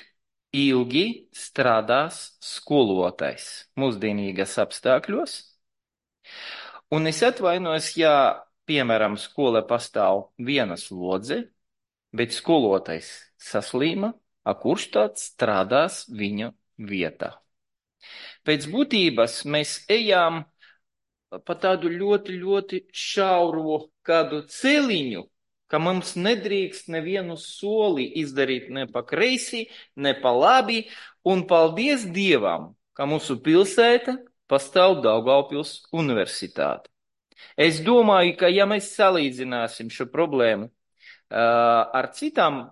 ilgi strādās skolotājs mūsdienīgas apstākļos. Un es atvainojos, ja, piemēram, skolā pastāv viena slodze, bet skolotājs saslīma, a kurš tāds strādās viņa vietā. Pēc būtības mēs ejam pa tādu ļoti, ļoti šauro kādu celiņu, ka mums nedrīkst nevienu soli izdarīt ne pa kreisi, ne pa labi, un paldies Dievam, ka mūsu pilsēta pastāv Daugavpils universitāte. Es domāju, ka ja mēs salīdzināsim šo problēmu uh, ar citām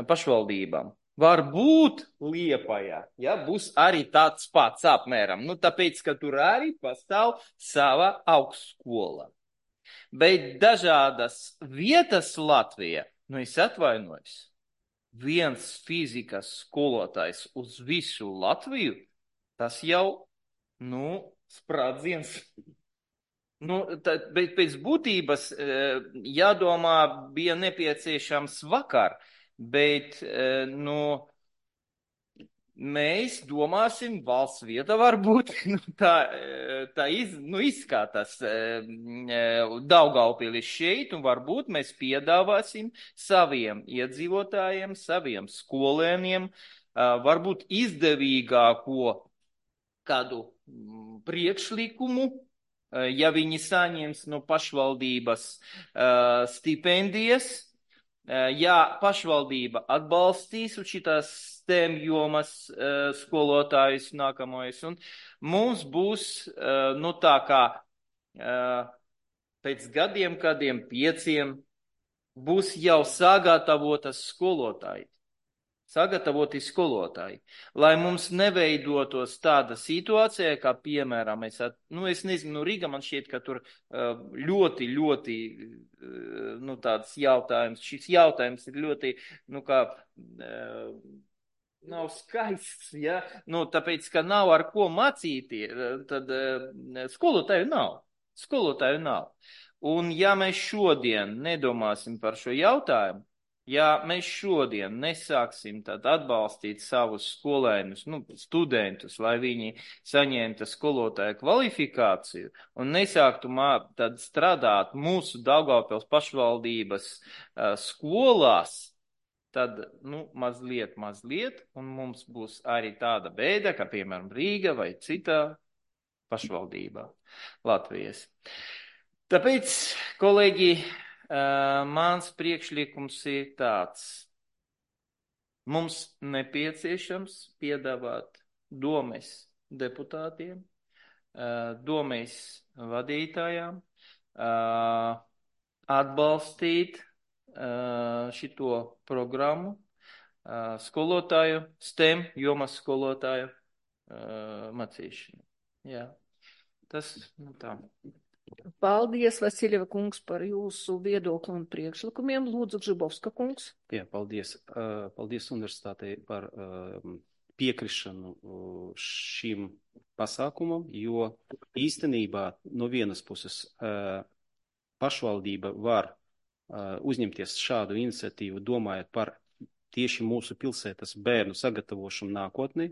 pašvaldībām, varbūt Liepājā, ja, būs arī tāds pats apmēram, nu tāpēc, ka tur arī pastāv sava augstskola. Bet dažādas vietas Latvijā, nu es atvainojos, viens fizikas skolotājs uz visu Latviju, tas jau, nu, sprādziens. Nu, tā, bet pēc būtības jādomā bija nepieciešams vakar, bet, nu, mēs domāsim valsts vieta varbūt, nu, tā, tā iz, nu, izskatās Daugavpilis šeit, un varbūt mēs piedāvāsim saviem iedzīvotājiem, saviem skolēniem, varbūt izdevīgāko kādu priekšlikumu, ja viņi saņems no pašvaldības stipendijas. Ja pašvaldība atbalstīs un šitās STEM jomas uh, skolotājus nākamais. Un mums būs, uh, nu tā kā, uh, pēc gadiem, kādiem pieciem, būs jau sagatavotas skolotāji. Sagatavoti skolotāji, lai mums neveidotos tāda situācija, kā piemēram, es, at, nu, es nezinu, nu, Rīga man šķiet, ka tur uh, ļoti, ļoti, uh, nu, tāds jautājums, šis jautājums ir ļoti, nu, kā, uh, nav skaists, ja, nu, tāpēc, ka nav ar ko mācīties, tad uh, skolotāju nav, skolotāju nav. Un ja mēs šodien nedomāsim par šo jautājumu, ja mēs šodien nesāksim tad atbalstīt savus skolēnus, nu, studentus, lai viņi saņemtu skolotāju kvalifikāciju un nesāktu mā, tad strādāt mūsu Daugavpils pašvaldības uh, skolās, tad, nu, mazliet, mazliet, un mums būs arī tāda bēda, kā, piemēram, Rīga vai citā pašvaldībā Latvijas. Tāpēc, kolēģi, Uh, mans priekšlikums ir tāds. Mums nepieciešams piedāvāt domes deputātiem, uh, domes vadītājām, uh, atbalstīt uh, šito programmu, uh, skolotāju, STEM jomas skolotāju uh, mācīšanu. Jā, tas, nu tā. Paldies, Vasiljeva kungs, par jūsu viedokli un priekšlikumiem. Lūdzu, Gžibovska kungs. Jā, paldies. Paldies universitātei par piekrišanu šim pasākumam, jo īstenībā no vienas puses pašvaldība var uzņemties šādu iniciatīvu, domājot par tieši mūsu pilsētas bērnu sagatavošanu nākotnē,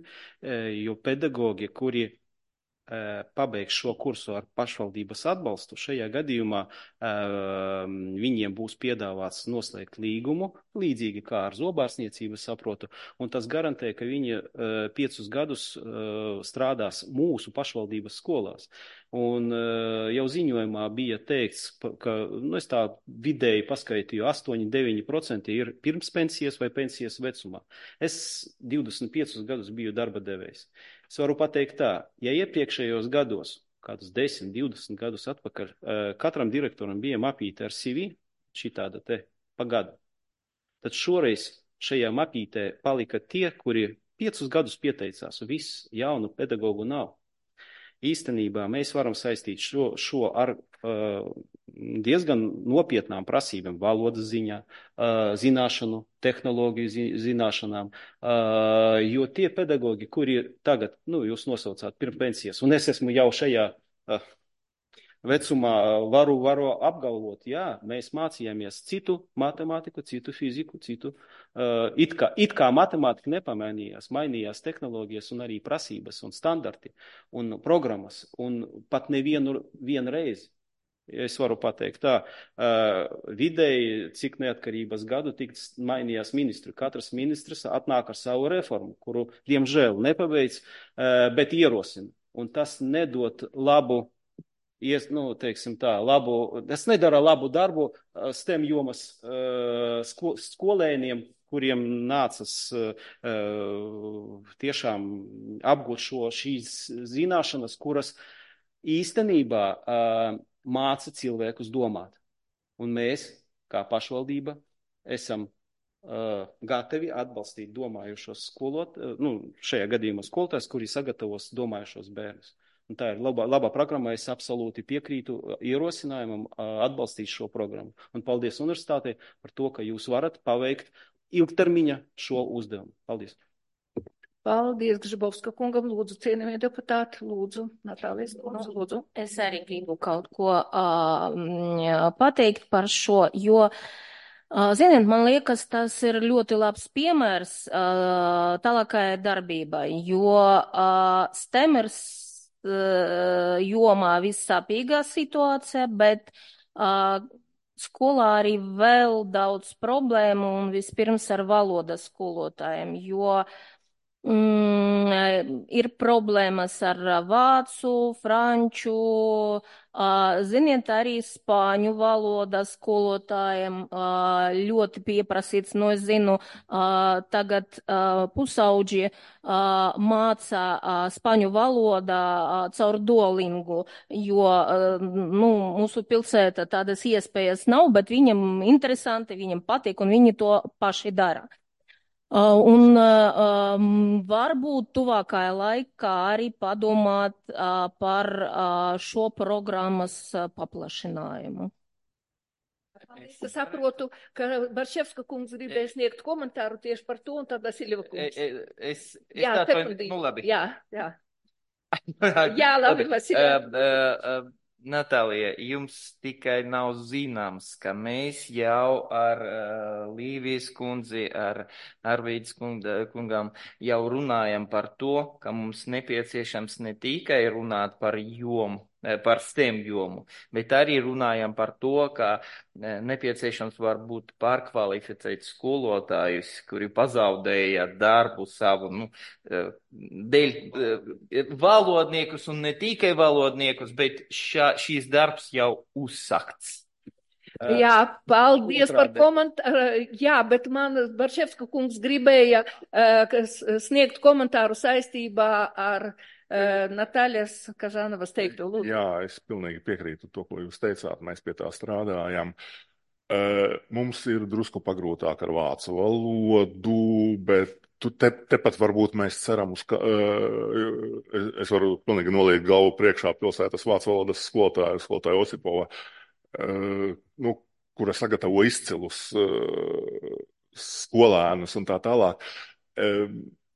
jo pedagogi, kuri pabeigs šo kursu ar pašvaldības atbalstu, šajā gadījumā uh, viņiem būs piedāvāts noslēgt līgumu, līdzīgi kā ar zobārstniecību saprotu, un tas garantē, ka viņi uh, piecus gadus uh, strādās mūsu pašvaldības skolās. Un uh, jau ziņojumā bija teikts, ka, nu, es tā vidēji paskaitīju, astoņi līdz deviņi procenti ir pirms pensijas vai pensijas vecumā. Es divdesmit piecus gadus biju darba devējs. Es varu pateikt tā, ja iepriekšējos gados, kādus desmit, divdesmit gadus atpakaļ, katram direktoram bija mapīte ar C V, šitāda te pa gadu, tad šoreiz šajā mapītē palika tie, kuri piecus gadus pieteicās, un viss jaunu pedagogu nav. Īstenībā mēs varam saistīt šo, šo ar uh, diezgan nopietnām prasībām valodas ziņā, uh, zināšanu, tehnoloģiju zi, zināšanām, uh, jo tie pedagogi, kuri tagad, nu, jūs nosaucāt pirms pensijas, un es esmu jau šajā uh, vecumā, varu, varu apgalvot, jā, mēs mācījāmies citu matemātiku, citu fiziku, citu, uh, it kā, it kā matemātika nepamainījās, mainījās tehnoloģijas un arī prasības un standarti un programmas, un pat nevienu vienu reizi. Es varu pateikt tā, uh, vidēji, cik neatkarības gadu tik mainījās ministri. Katrs ministrs atnāk ar savu reformu, kuru, diemžēl, nepabeidz, uh, bet ierosina. Un tas nedod labu, ies, nu, teiksim tā, labu, tas nedara labu darbu uh, STEM jomas uh, sko, skolēniem, kuriem nācas uh, tiešām apgūt šo šīs zināšanas, kuras īstenībā uh, māca cilvēkus domāt. Un mēs, kā pašvaldība, esam uh, gatavi atbalstīt domājušos skolot, uh, nu, šajā gadījumā skolotājs, kuri sagatavos domājušos bērnus. Un tā ir labā, labā programma, es absolūti piekrītu ierosinājumam uh, atbalstīt šo programmu. Un paldies universitātei par to, ka jūs varat paveikt ilgtermiņa šo uzdevumu. Paldies. Paldies, Gžibovska kungam. Lūdzu, cienījamie deputāti, lūdzu, Natālijas, lūdzu, lūdzu. Es arī gribu kaut ko uh, pateikt par šo, jo, uh, ziniet, man liekas, tas ir ļoti labs piemērs uh, tālākai darbībai, jo uh, STEM ir uh, jomā vissāpīgā situācija, bet uh, skolā arī vēl daudz problēmu un vispirms ar valodas skolotājiem, jo Mm, ir problēmas ar vācu, franču, ziniet, arī spāņu valoda skolotājiem ļoti pieprasīts. No es zinu, tagad pusauģi māca spāņu valodā caur Duolingu, jo, nu, mūsu pilsēta tādas iespējas nav, bet viņam interesanti, viņam patīk un viņi to paši dara. Uh, un uh, um, varbūt tuvākajā laikā arī padomāt uh, par uh, šo programmas uh, paplašinājumu. Es saprotu, ka Barševska kungs gribēja sniegt komentāru tieši par to, un tad Vasiljeva kungs. Es, es, es Jā, tā, nu labi. Jā, jā. Jā, labi, Vasiljeva. Uh, uh, uh, Natālija, jums tikai nav zināms, ka mēs jau ar uh, Līvijas kundzi, ar Arvīdas kungam jau runājam par to, ka mums nepieciešams ne tikai runāt par jomu, par STEM jomu, bet arī runājam par to, ka nepieciešams varbūt pārkvalificēt skolotājus, kuri pazaudēja darbu savu, nu, dēļ valodniekus un ne tikai valodniekus, bet šā, šīs darbs jau uzsakts. Jā, paldies par komentāru. Jā, bet man Barševska kungs gribēja uh, sniegt komentāru saistībā ar uh, Nataļas Kažanovas teikto. Lūdzu. Jā, es pilnīgi piekrītu to, ko jūs teicāt. Mēs pie tā strādājam. Uh, mums ir drusku pagrūtāk ar vācu valodu, bet te, tepat varbūt mēs ceram uz, ka uh, es, es varu pilnīgi noliekt galvu priekšā pilsētas vācu valodas skolotāju, skolotāju Osipova. Uh, nu, kura sagatavo izcilus uh, skolēnus un tā tālāk. Uh,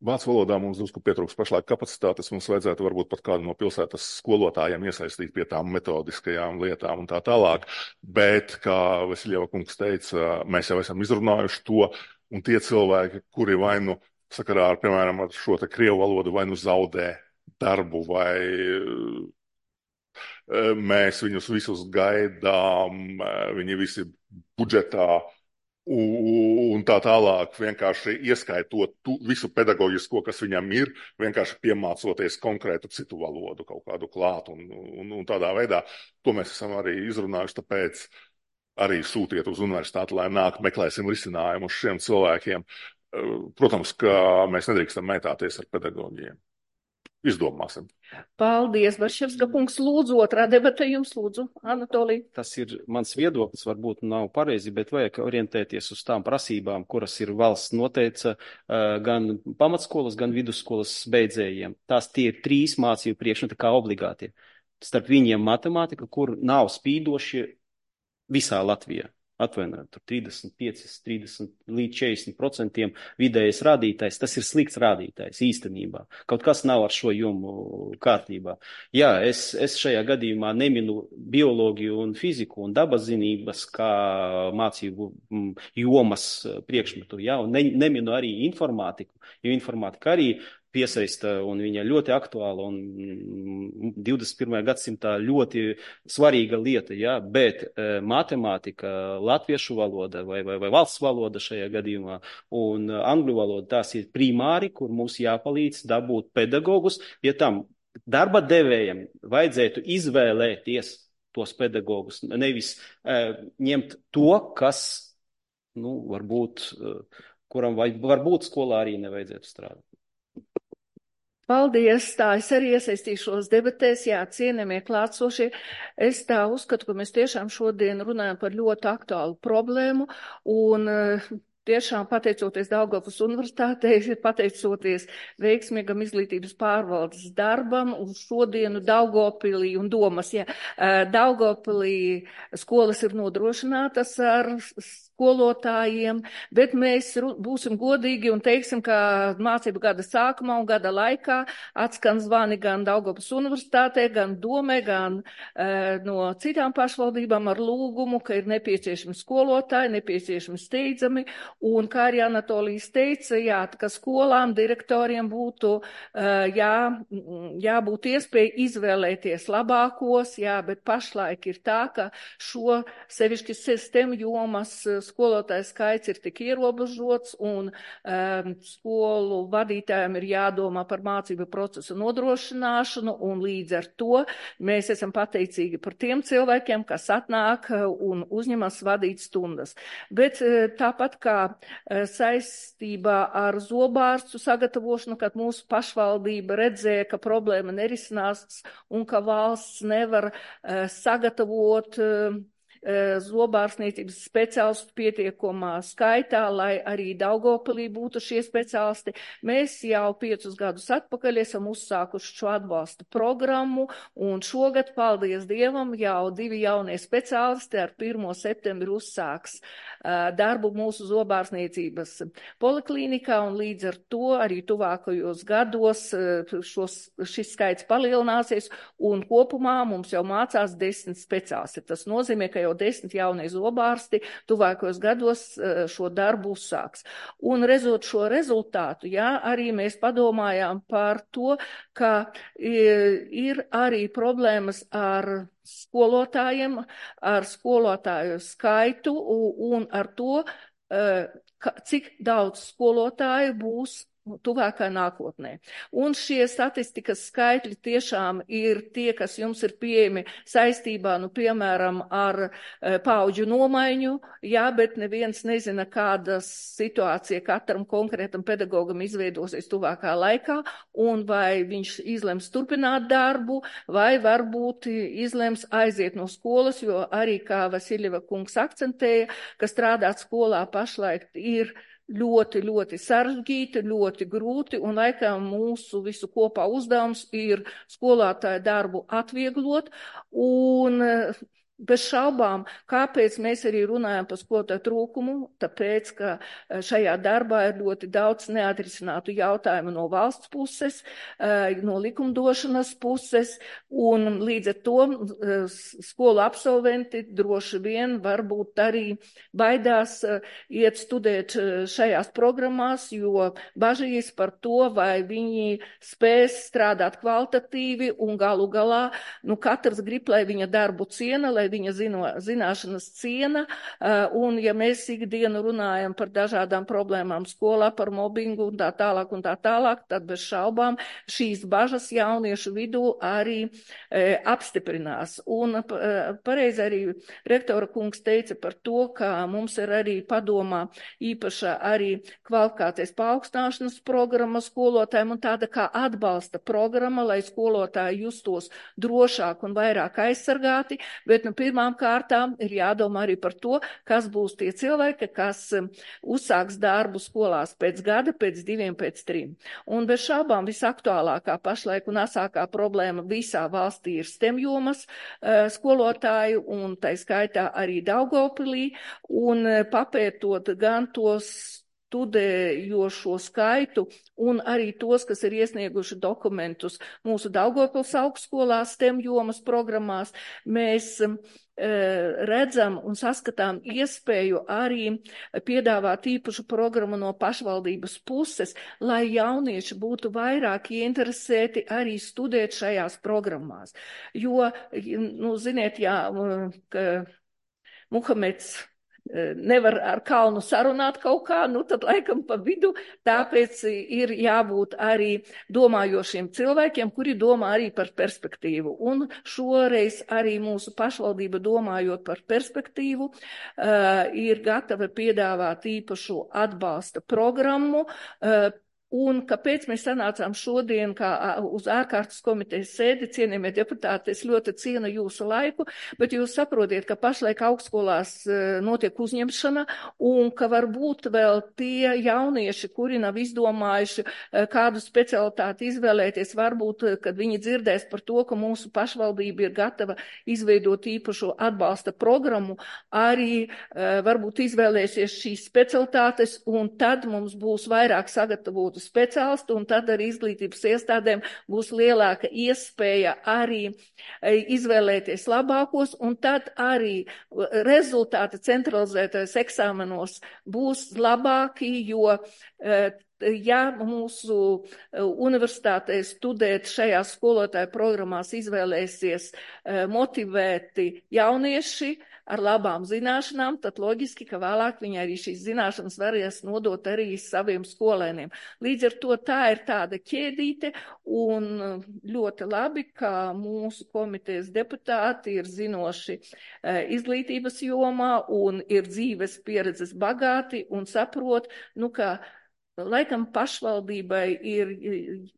Vācu valodā mums drusku pietrūks pašlaik kapacitātes, mums vajadzētu varbūt pat kādu no pilsētas skolotājiem iesaistīt pie tām metodiskajām lietām un tā tālāk, bet, kā Vasiljeva kungs teica, mēs jau esam izrunājuši to, un tie cilvēki, kuri vai nu sakarā ar, piemēram, ar šo te krievu valodu vai nu zaudē darbu vai mēs viņus visus gaidām, viņi visi budžetā un tā tālāk, vienkārši ieskaitot tu, visu pedagoģisko, kas viņam ir, vienkārši piemācoties konkrētu citu valodu, kaut kādu klāt un, un, un tādā veidā. To mēs esam arī izrunājuši, tāpēc arī sūtiet uz universitāti, lai nāk, meklēsim risinājumu uz šiem cilvēkiem. Protams, ka mēs nedrīkstam mētāties ar pedagoģiem. Izdomāsim. Paldies, Barševska kungs. Lūdzu, otrā debata jums, lūdzu, Anatolija. Tas ir mans viedoklis, varbūt nav pareizi, bet vajag orientēties uz tām prasībām, kuras ir valsts noteica gan pamatskolas, gan vidusskolas beidzējiem. Tās tie ir trīs mācību priekšmeti kā obligāti. Starp viņiem matemātika, kur nav spīdoši visā Latvijā. Atvainojiet, tur trīsdesmit pieci, trīsdesmit līdz četrdesmit procentiem vidējais rādītājs, tas ir slikts rādītājs īstenībā. Kaut kas nav ar šo jomu kārtībā. Jā, es, es šajā gadījumā neminu bioloģiju un fiziku un dabazinības kā mācību jomas priekšmetu, jā, un ne, neminu arī informātiku, jo informātika arī piesaista un viņa ļoti aktuāla un divdesmit pirmajā gadsimtā ļoti svarīga lieta, ja? Bet e, matemātika, latviešu valoda vai, vai, vai valsts valoda šajā gadījumā un angļu valoda, tās ir primāri, kur mums jāpalīdz dabūt pedagogus, ja tam darba devējiem vajadzētu izvēlēties tos pedagogus, nevis e, ņemt to, kas, nu, varbūt, e, kuram vai, varbūt skolā arī nevajadzētu strādāt. Paldies, tā es arī iesaistīšos debatēs, jā, cienījamie klātsošie. Es tā uzskatu, ka mēs tiešām šodien runājam par ļoti aktuālu problēmu un tiešām pateicoties Daugavpils universitātei, pateicoties veiksmīgam izglītības pārvaldes darbam uz šodienu Daugavpilī un domas, ja Daugavpilī skolas ir nodrošinātas ar skolotājiem, bet mēs būsim godīgi un teiksim, ka mācību gada sākumā un gada laikā atskan zvani gan Daugavpils universitātē, gan domē, gan uh, no citām pašvaldībām ar lūgumu, ka ir nepieciešami skolotāji, nepieciešami steidzami, un kā arī Anatolijas teica, jā, ka skolām, direktoriem būtu uh, jā, jābūt iespēja izvēlēties labākos, jā, bet pašlaik ir tā, ka šo sevišķi STEM jomas skolotāju skaits ir tik ierobežots un um, skolu vadītājiem ir jādomā par mācību procesu nodrošināšanu, un līdz ar to mēs esam pateicīgi par tiem cilvēkiem, kas atnāk un uzņemas vadīt stundas. Bet tāpat kā saistībā ar zobārstu sagatavošanu, kad mūsu pašvaldība redzēja, ka problēma nerisinās un ka valsts nevar uh, sagatavot uh, zobārstniecības speciālistu pietiekamā skaitā, lai arī Daugavpilī būtu šie speciālisti. Mēs jau piecus gadus atpakaļ esam uzsākuši šo atbalsta programmu, un šogad, paldies Dievam, jau divi jaunie speciālisti ar pirmo septembri uzsāks uh, darbu mūsu zobārstniecības poliklīnikā, un līdz ar to arī tuvākajos gados uh, šos, šis skaits palielināsies, un kopumā mums jau mācās desmit speciālisti. Tas nozīmē, ka jau desmit jaunie zobārsti tuvākos gados šo darbu uzsāks. Un redzot šo rezultātu, jā, arī mēs padomājām par to, ka ir arī problēmas ar skolotājiem, ar skolotāju skaitu un ar to, cik daudz skolotāju būs tuvākā nākotnē. Un šie statistikas skaitļi tiešām ir tie, kas jums ir pieejami saistībā, nu, piemēram, ar e, paudžu nomaiņu, jā, bet neviens nezina, kāda situācija katram konkrētam pedagogam izveidosies tuvākā laikā, un vai viņš izlems turpināt darbu, vai varbūt izlems aiziet no skolas, jo arī, kā Vasiļeva kungs akcentēja, ka strādāt skolā pašlaik ir ļoti, ļoti sarežģīti, ļoti grūti, un laikam mūsu visu kopā uzdevums ir skolotāju darbu atvieglot, un bez šaubām, kāpēc mēs arī runājam par skolotāju trūkumu, tāpēc, ka šajā darbā ir ļoti daudz neatrisinātu jautājumu no valsts puses, no likumdošanas puses, un līdz ar to skolu absolventi droši vien varbūt arī baidās iet studēt šajās programmās, jo bažīs par to, vai viņi spēs strādāt kvalitatīvi, un galu galā, nu, katrs grib, lai viņa darbu ciena, lai viņa zino, zināšanas ciena, un ja mēs ikdienu runājam par dažādām problēmām skolā, par mobbingu un tā tālāk un tā tālāk, tad bez šaubām šīs bažas jauniešu vidū arī e, apstiprinās. Un e, pareizi arī rektora kungs teica par to, ka mums ir arī padomā īpaša arī kvalifikācijas paaugstināšanas programma skolotājiem un tāda kā atbalsta programma, lai skolotāji justos drošāk un vairāk aizsargāti, bet nu, pirmām kārtām ir jādomā arī par to, kas būs tie cilvēki, kas uzsāks darbu skolās pēc gada, pēc diviem, pēc trim. Un bez šaubām visaktuālākā pašlaik un asākā problēma visā valstī ir STEM jomas skolotāju, un tai skaitā arī Daugavpilī, un papētot gan tos studējošo skaitu un arī tos, kas ir iesnieguši dokumentus mūsu Daugavpils augstskolās STEM jomas programmās, mēs e, redzam un saskatām iespēju arī piedāvāt īpašu programmu no pašvaldības puses, lai jaunieši būtu vairāk ieinteresēti arī studēt šajās programmās. Jo, nu, ziniet, jā, ka Muhameds nevar ar kalnu sarunāt kaut kā, nu tad laikam pa vidu, tāpēc ir jābūt arī domājošiem cilvēkiem, kuri domā arī par perspektīvu. Un šoreiz arī mūsu pašvaldība domājot par perspektīvu, uh, ir gatava piedāvāt īpašu atbalsta programmu, uh, Un kāpēc mēs sanācām šodien kā uz ārkārtas komitejas sēdi, cienījamie deputāti, es ļoti cienu jūsu laiku, bet jūs saprotiet, ka pašlaik augstskolās notiek uzņemšana un ka varbūt vēl tie jaunieši, kuri nav izdomājuši kādu specialitāti izvēlēties, varbūt, kad viņi dzirdēs par to, ka mūsu pašvaldība ir gatava izveidot īpašu atbalsta programmu, arī varbūt izvēlēsies šīs specialitātes un tad mums būs vairāk sagatavotu speciālistu, un tad arī izglītības iestādēm būs lielāka iespēja arī izvēlēties labākos, un tad arī rezultāti centralizētajos eksāmenos būs labāki, jo ja mūsu universitātē studēt šajās skolotāju programmās izvēlēsies motivēti jaunieši, ar labām zināšanām, tad loģiski, ka vēlāk viņi arī šīs zināšanas varēs nodot arī saviem skolēniem. Līdz ar to tā ir tāda ķēdīte, un ļoti labi, ka mūsu komitejas deputāti ir zinoši izglītības jomā un ir dzīves pieredzes bagāti un saprot, nu, ka laikam pašvaldībai ir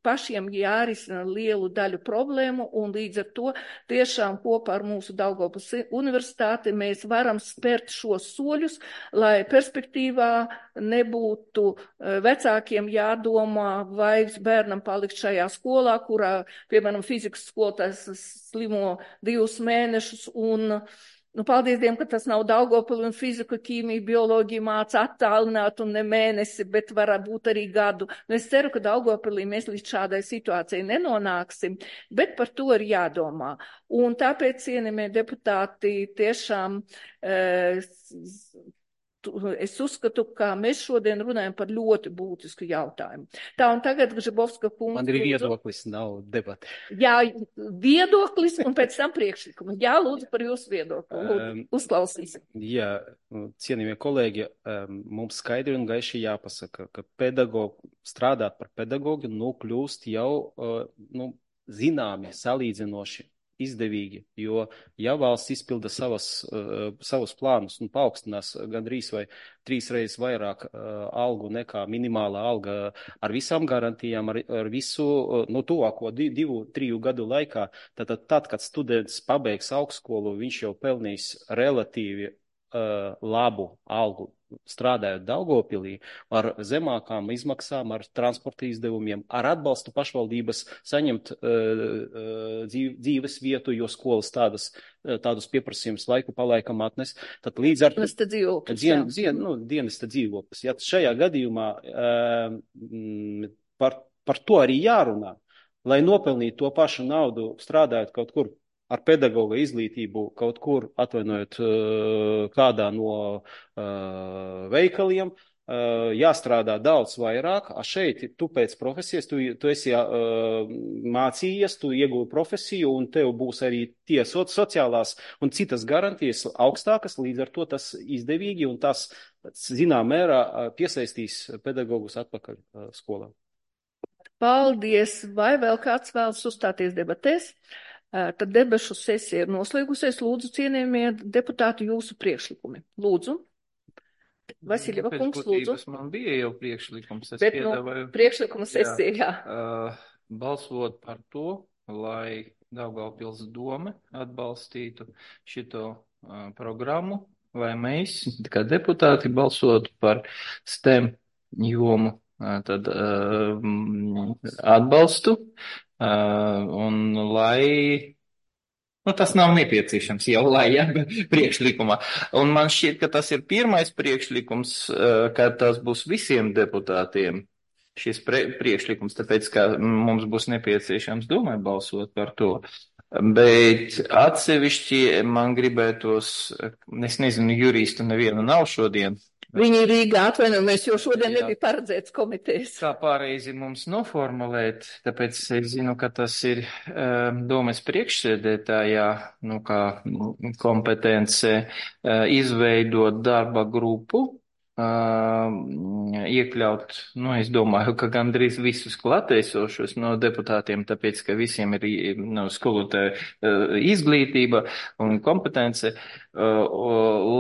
pašiem jārisina lielu daļu problēmu, un līdz ar to tiešām kopā ar mūsu Daugavpils universitāti mēs varam spērt šos soļus, lai perspektīvā nebūtu vecākiem jādomā, vai bērnam palikt šajā skolā, kurā, piemēram, fizikas skolotājs slimo divus mēnešus un Nu, paldies Dievam, ka tas nav Daugavpili un fiziku, ķīmiju, bioloģiju māca attālināt un ne mēnesi, bet var būt arī gadu. Nu, es ceru, ka Daugavpilī mēs līdz šādai situācijai nenonāksim, bet par to ir jādomā. Un tāpēc, cienījamie deputāti, tiešām e, es uzskatu, ka mēs šodien runājam par ļoti būtisku jautājumu. Tā, un tagad Gžibovska kungs. Man ir viedoklis, nav debati. Jā, viedoklis un pēc tam priekšlikumi. Jā, lūdzu par jūsu viedokli. Lūdzu, uzklausīsim. Jā, cienījamie kolēģi, mums skaidri un gaiši jāpasaka, ka pedagogu, strādāt par pedagogu, nu, kļūst jau, nu, zināmi, salīdzinoši izdevīgi, jo ja valsts izpilda savas, uh, savus plānus un paaugstinās gandrīz vai trīs reizes vairāk uh, algu nekā minimālā alga ar visām garantijām, ar, ar visu, uh, no tuvāko divu, triju gadu laikā, tad, tad, tad, kad students pabeigs augstskolu, viņš jau pelnīs relatīvi uh, labu algu strādājot Daugavpilī, ar zemākām izmaksām, ar transporta izdevumiem, ar atbalstu pašvaldības saņemt uh, dzīves vietu, jo skolas tādas, tādus pieprasījumus laiku palaikam atnes. Tad līdz ar dienesta dzīvoklis. Dien, dien, nu, dienesta dzīvoklis. Ja šajā gadījumā uh, par, par to arī jārunā, lai nopelnītu to pašu naudu strādājot kaut kur ar pedagoga izglītību kaut kur, atvainojot kādā no uh, veikaliem, uh, jāstrādā daudz vairāk, a šeit tu pēc profesijas, tu, tu esi uh, mācījies, tu ieguvi profesiju un tev būs arī tie so, sociālās un citas garantijas augstākas, līdz ar to tas izdevīgi un tas, zinām, mērā piesaistīs pedagogus atpakaļ uh, skolā. Paldies! Vai vēl kāds vēlas uzstāties debatēs? Tad debašu sesija ir noslēgusies. Lūdzu, cienījamie deputāti, jūsu priekšlikumi. Lūdzu. Vasiljeva kungs, lūdzu. Man bija jau priekšlikums. Es Bet, piedāvāju, nu, priekšlikuma sesija, jā. Uh, balsot par to, lai Daugavpils dome atbalstītu šito uh, programmu, lai mēs, kā deputāti, balsotu par STEM jomu, uh, tad uh, atbalstu. Uh, un lai, nu tas nav nepieciešams jau, lai, ja, priekšlikumā. Un man šķiet, ka tas ir pirmais priekšlikums, uh, ka tas būs visiem deputātiem šis pre priekšlikums, tāpēc, ka mums būs nepieciešams domāt balsot par to. Bet atsevišķi man gribētos, es nezinu, juristu nevienu nav šodien. Viņi ir Rīgā, atvainojamies, jo šodien Jā. nebija paredzēts komitejas. Kā pareizi mums noformulēt, tāpēc es zinu, ka tas ir um, domes priekšsēdētājā, nu kā kompetence, uh, izveidot darba grupu, uh, iekļaut, nu es domāju, ka gandrīz visus klātesošos no deputātiem, tāpēc, ka visiem ir nu, skolotāja uh, izglītība un kompetence. Uh,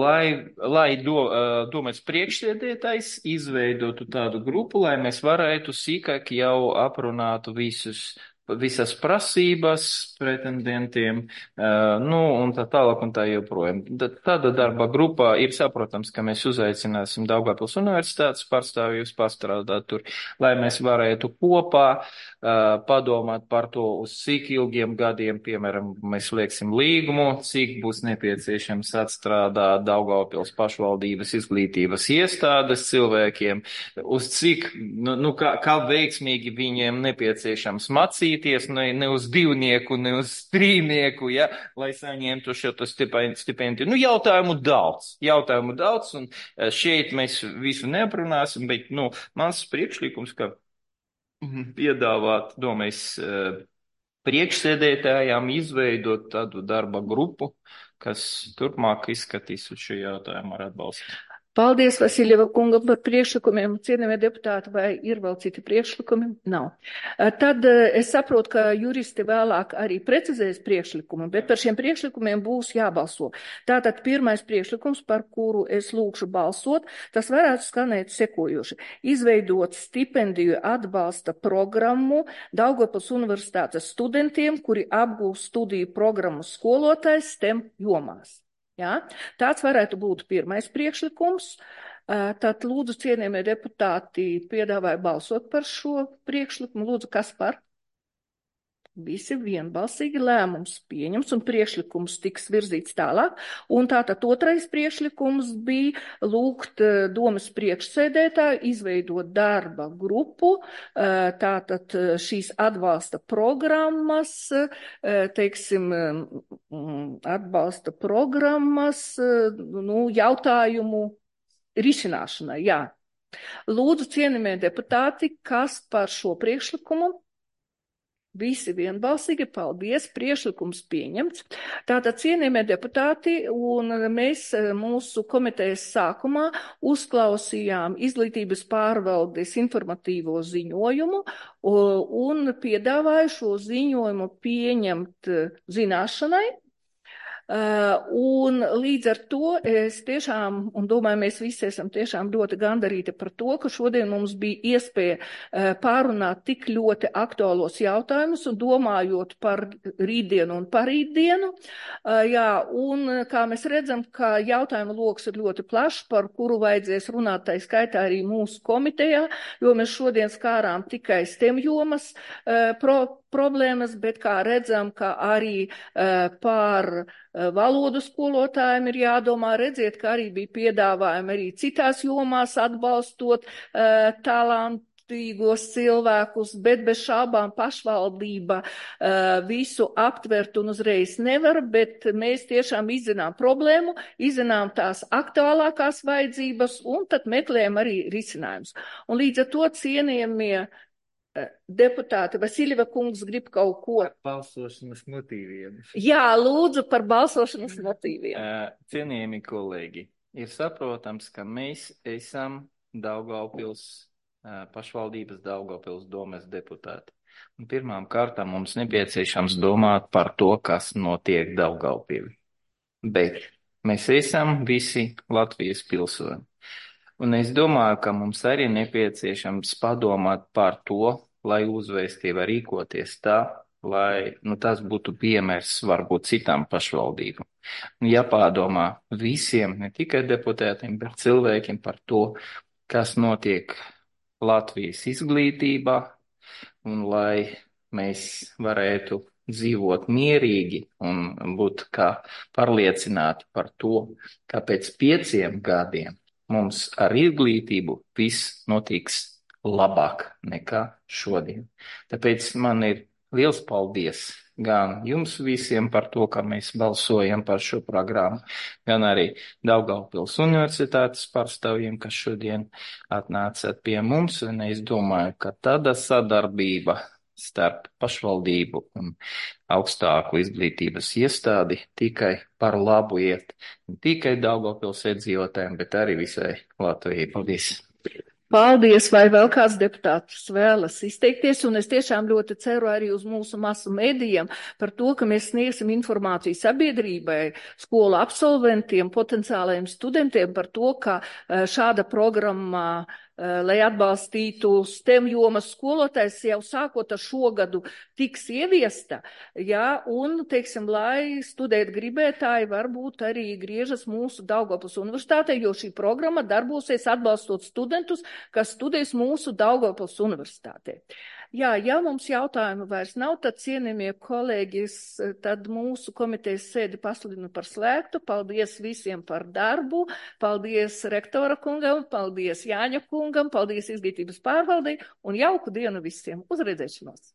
lai, lai do, uh, domāts priekšsēdētājs izveidotu tādu grupu, lai mēs varētu sīkāk jau aprunātu visus, visas prasības pretendentiem, uh, nu, un tā tālāk un tā joprojām. Tāda darba grupā ir saprotams, ka mēs uzaicināsim Daugavpils universitātes pārstāvjus pastrādāt tur, lai mēs varētu kopā uh, padomāt par to, uz cik ilgiem gadiem, piemēram, mēs lieksim līgumu, cik būs nepieciešams atstrādāt Daugavpils pašvaldības izglītības iestādes cilvēkiem, uz cik, nu, nu kā, kā veiksmīgi viņiem nepieciešams macīt, Ne, ne uz divnieku, ne uz trīnieku, ja, lai saņemtu šo stipendiju. Nu, jautājumu daudz, jautājumu daudz, un šeit mēs visu neaprunāsim, bet, nu, mans priekšlikums, ka piedāvāt, domājas, priekšsēdētājām izveidot tādu darba grupu, kas turpmāk izskatīs uz šo jautājumu ar atbalstu. Paldies Vasiljeva kungam par priekšlikumiem. Cienījamie deputāti, vai ir vēl citi priekšlikumi? Nav. Tad es saprotu, ka juristi vēlāk arī precizēs priekšlikumu, bet par šiem priekšlikumiem būs jābalso. Tātad pirmais priekšlikums, par kuru es lūkšu balsot, tas varētu skanēt sekojoši. Izveidot stipendiju atbalsta programmu Daugavpils Universitātes studentiem, kuri apgūst studiju programmu skolotājs STEM jomās. Jā, tāds varētu būt pirmais priekšlikums. Tad lūdzu, cienījamie deputāti, piedāvāju balsot par šo priekšlikumu. Lūdzu, kas par? Visi vienbalsīgi lēmums pieņems un priekšlikums tiks virzīts tālāk. Un tātad otrais priekšlikums bija lūgt domas priekšsēdētāju izveidot darba grupu, tātad šīs atbalsta programmas, teiksim, atbalsta programmas, nu, jautājumu risināšanai, jā. Lūdzu, cienījamie deputāti, kas par šo priekšlikumu? Visi vienbalsīgi, paldies, priekšlikums pieņemts. Tātad, cienījamie deputāti, un mēs mūsu komitejas sākumā uzklausījām izglītības pārvaldes informatīvo ziņojumu un piedāvāju šo ziņojumu pieņemt zināšanai. Un līdz ar to es tiešām, un domāju, mēs visi esam tiešām ļoti gandarīti par to, ka šodien mums bija iespēja pārunāt tik ļoti aktuālos jautājumus un domājot par rītdienu un parītdienu. Jā, un kā mēs redzam, ka jautājumu loks ir ļoti plašs, par kuru vajadzēs runāt, tai skaitā arī mūsu komitejā, jo mēs šodien skārām tikai STEM jomas pro problēmas, bet kā redzam, ka arī uh, par uh, valodu skolotājiem ir jādomā, redziet, ka arī bija piedāvājumi arī citās jomās atbalstot uh, talantīgos cilvēkus, bet bez šābām pašvaldība uh, visu aptvert un uzreiz nevar, bet mēs tiešām izzinām problēmu, izzinām tās aktuālākās vajadzības un tad meklējam arī risinājumus. Un līdz ar to cienījamie deputāti, Vasiljeva kungs grib kaut ko. Balsošanas motīviem. Jā, lūdzu par balsošanas motīviem. Cienījami kolēģi, ir saprotams, ka mēs esam Daugavpils pašvaldības Daugavpils domes deputāti. Un pirmām kārtām mums nepieciešams domāt par to, kas notiek Daugavpilī. Bet mēs esam visi Latvijas pilsoņi. Un es domāju, ka mums arī nepieciešams padomāt par to, lai uzvēstība rīkoties tā, lai nu, tas būtu piemērs varbūt citām pašvaldībām. Jāpādomā visiem, ne tikai deputātiem, bet cilvēkiem par to, kas notiek Latvijas izglītībā, un lai mēs varētu dzīvot mierīgi un būt kā pārliecināti par to, ka pēc pieciem gadiem mums ar izglītību viss notiks labāk nekā šodien. Tāpēc man ir liels paldies gan jums visiem par to, ka mēs balsojam par šo programmu, gan arī Daugavpils Universitātes pārstāvjiem, kas šodien atnācat pie mums, un es domāju, ka tāda sadarbība starp pašvaldību un augstāku izglītības iestādi tikai par labu iet, ne tikai Daugavpils iedzīvotājiem, bet arī visai Latvijai. Paldies! Paldies, vai vēl kāds deputāts vēlas izteikties, un es tiešām ļoti ceru arī uz mūsu masu medijiem par to, ka mēs sniegsim informāciju sabiedrībai, skolu absolventiem, potenciālajiem studentiem par to, ka šāda programma, lai atbalstītu STEM jomas skolotājs, jau sākot ar šogadu tiks ieviesta, jā, un, teiksim, lai studēt gribētāji varbūt arī griežas mūsu Daugavpils Universitātē, jo šī programma darbosies atbalstot studentus, kas studēs mūsu Daugavpils Universitātē. Jā, ja mums jautājumu vairs nav, tad cienījamie kolēģis, tad mūsu komitejas sēdi pasludinu par slēgtu. Paldies visiem par darbu, paldies rektora kungam, paldies Jāņa kungam, paldies izglītības pārvaldei un jauku dienu visiem. Uz redzēšanos!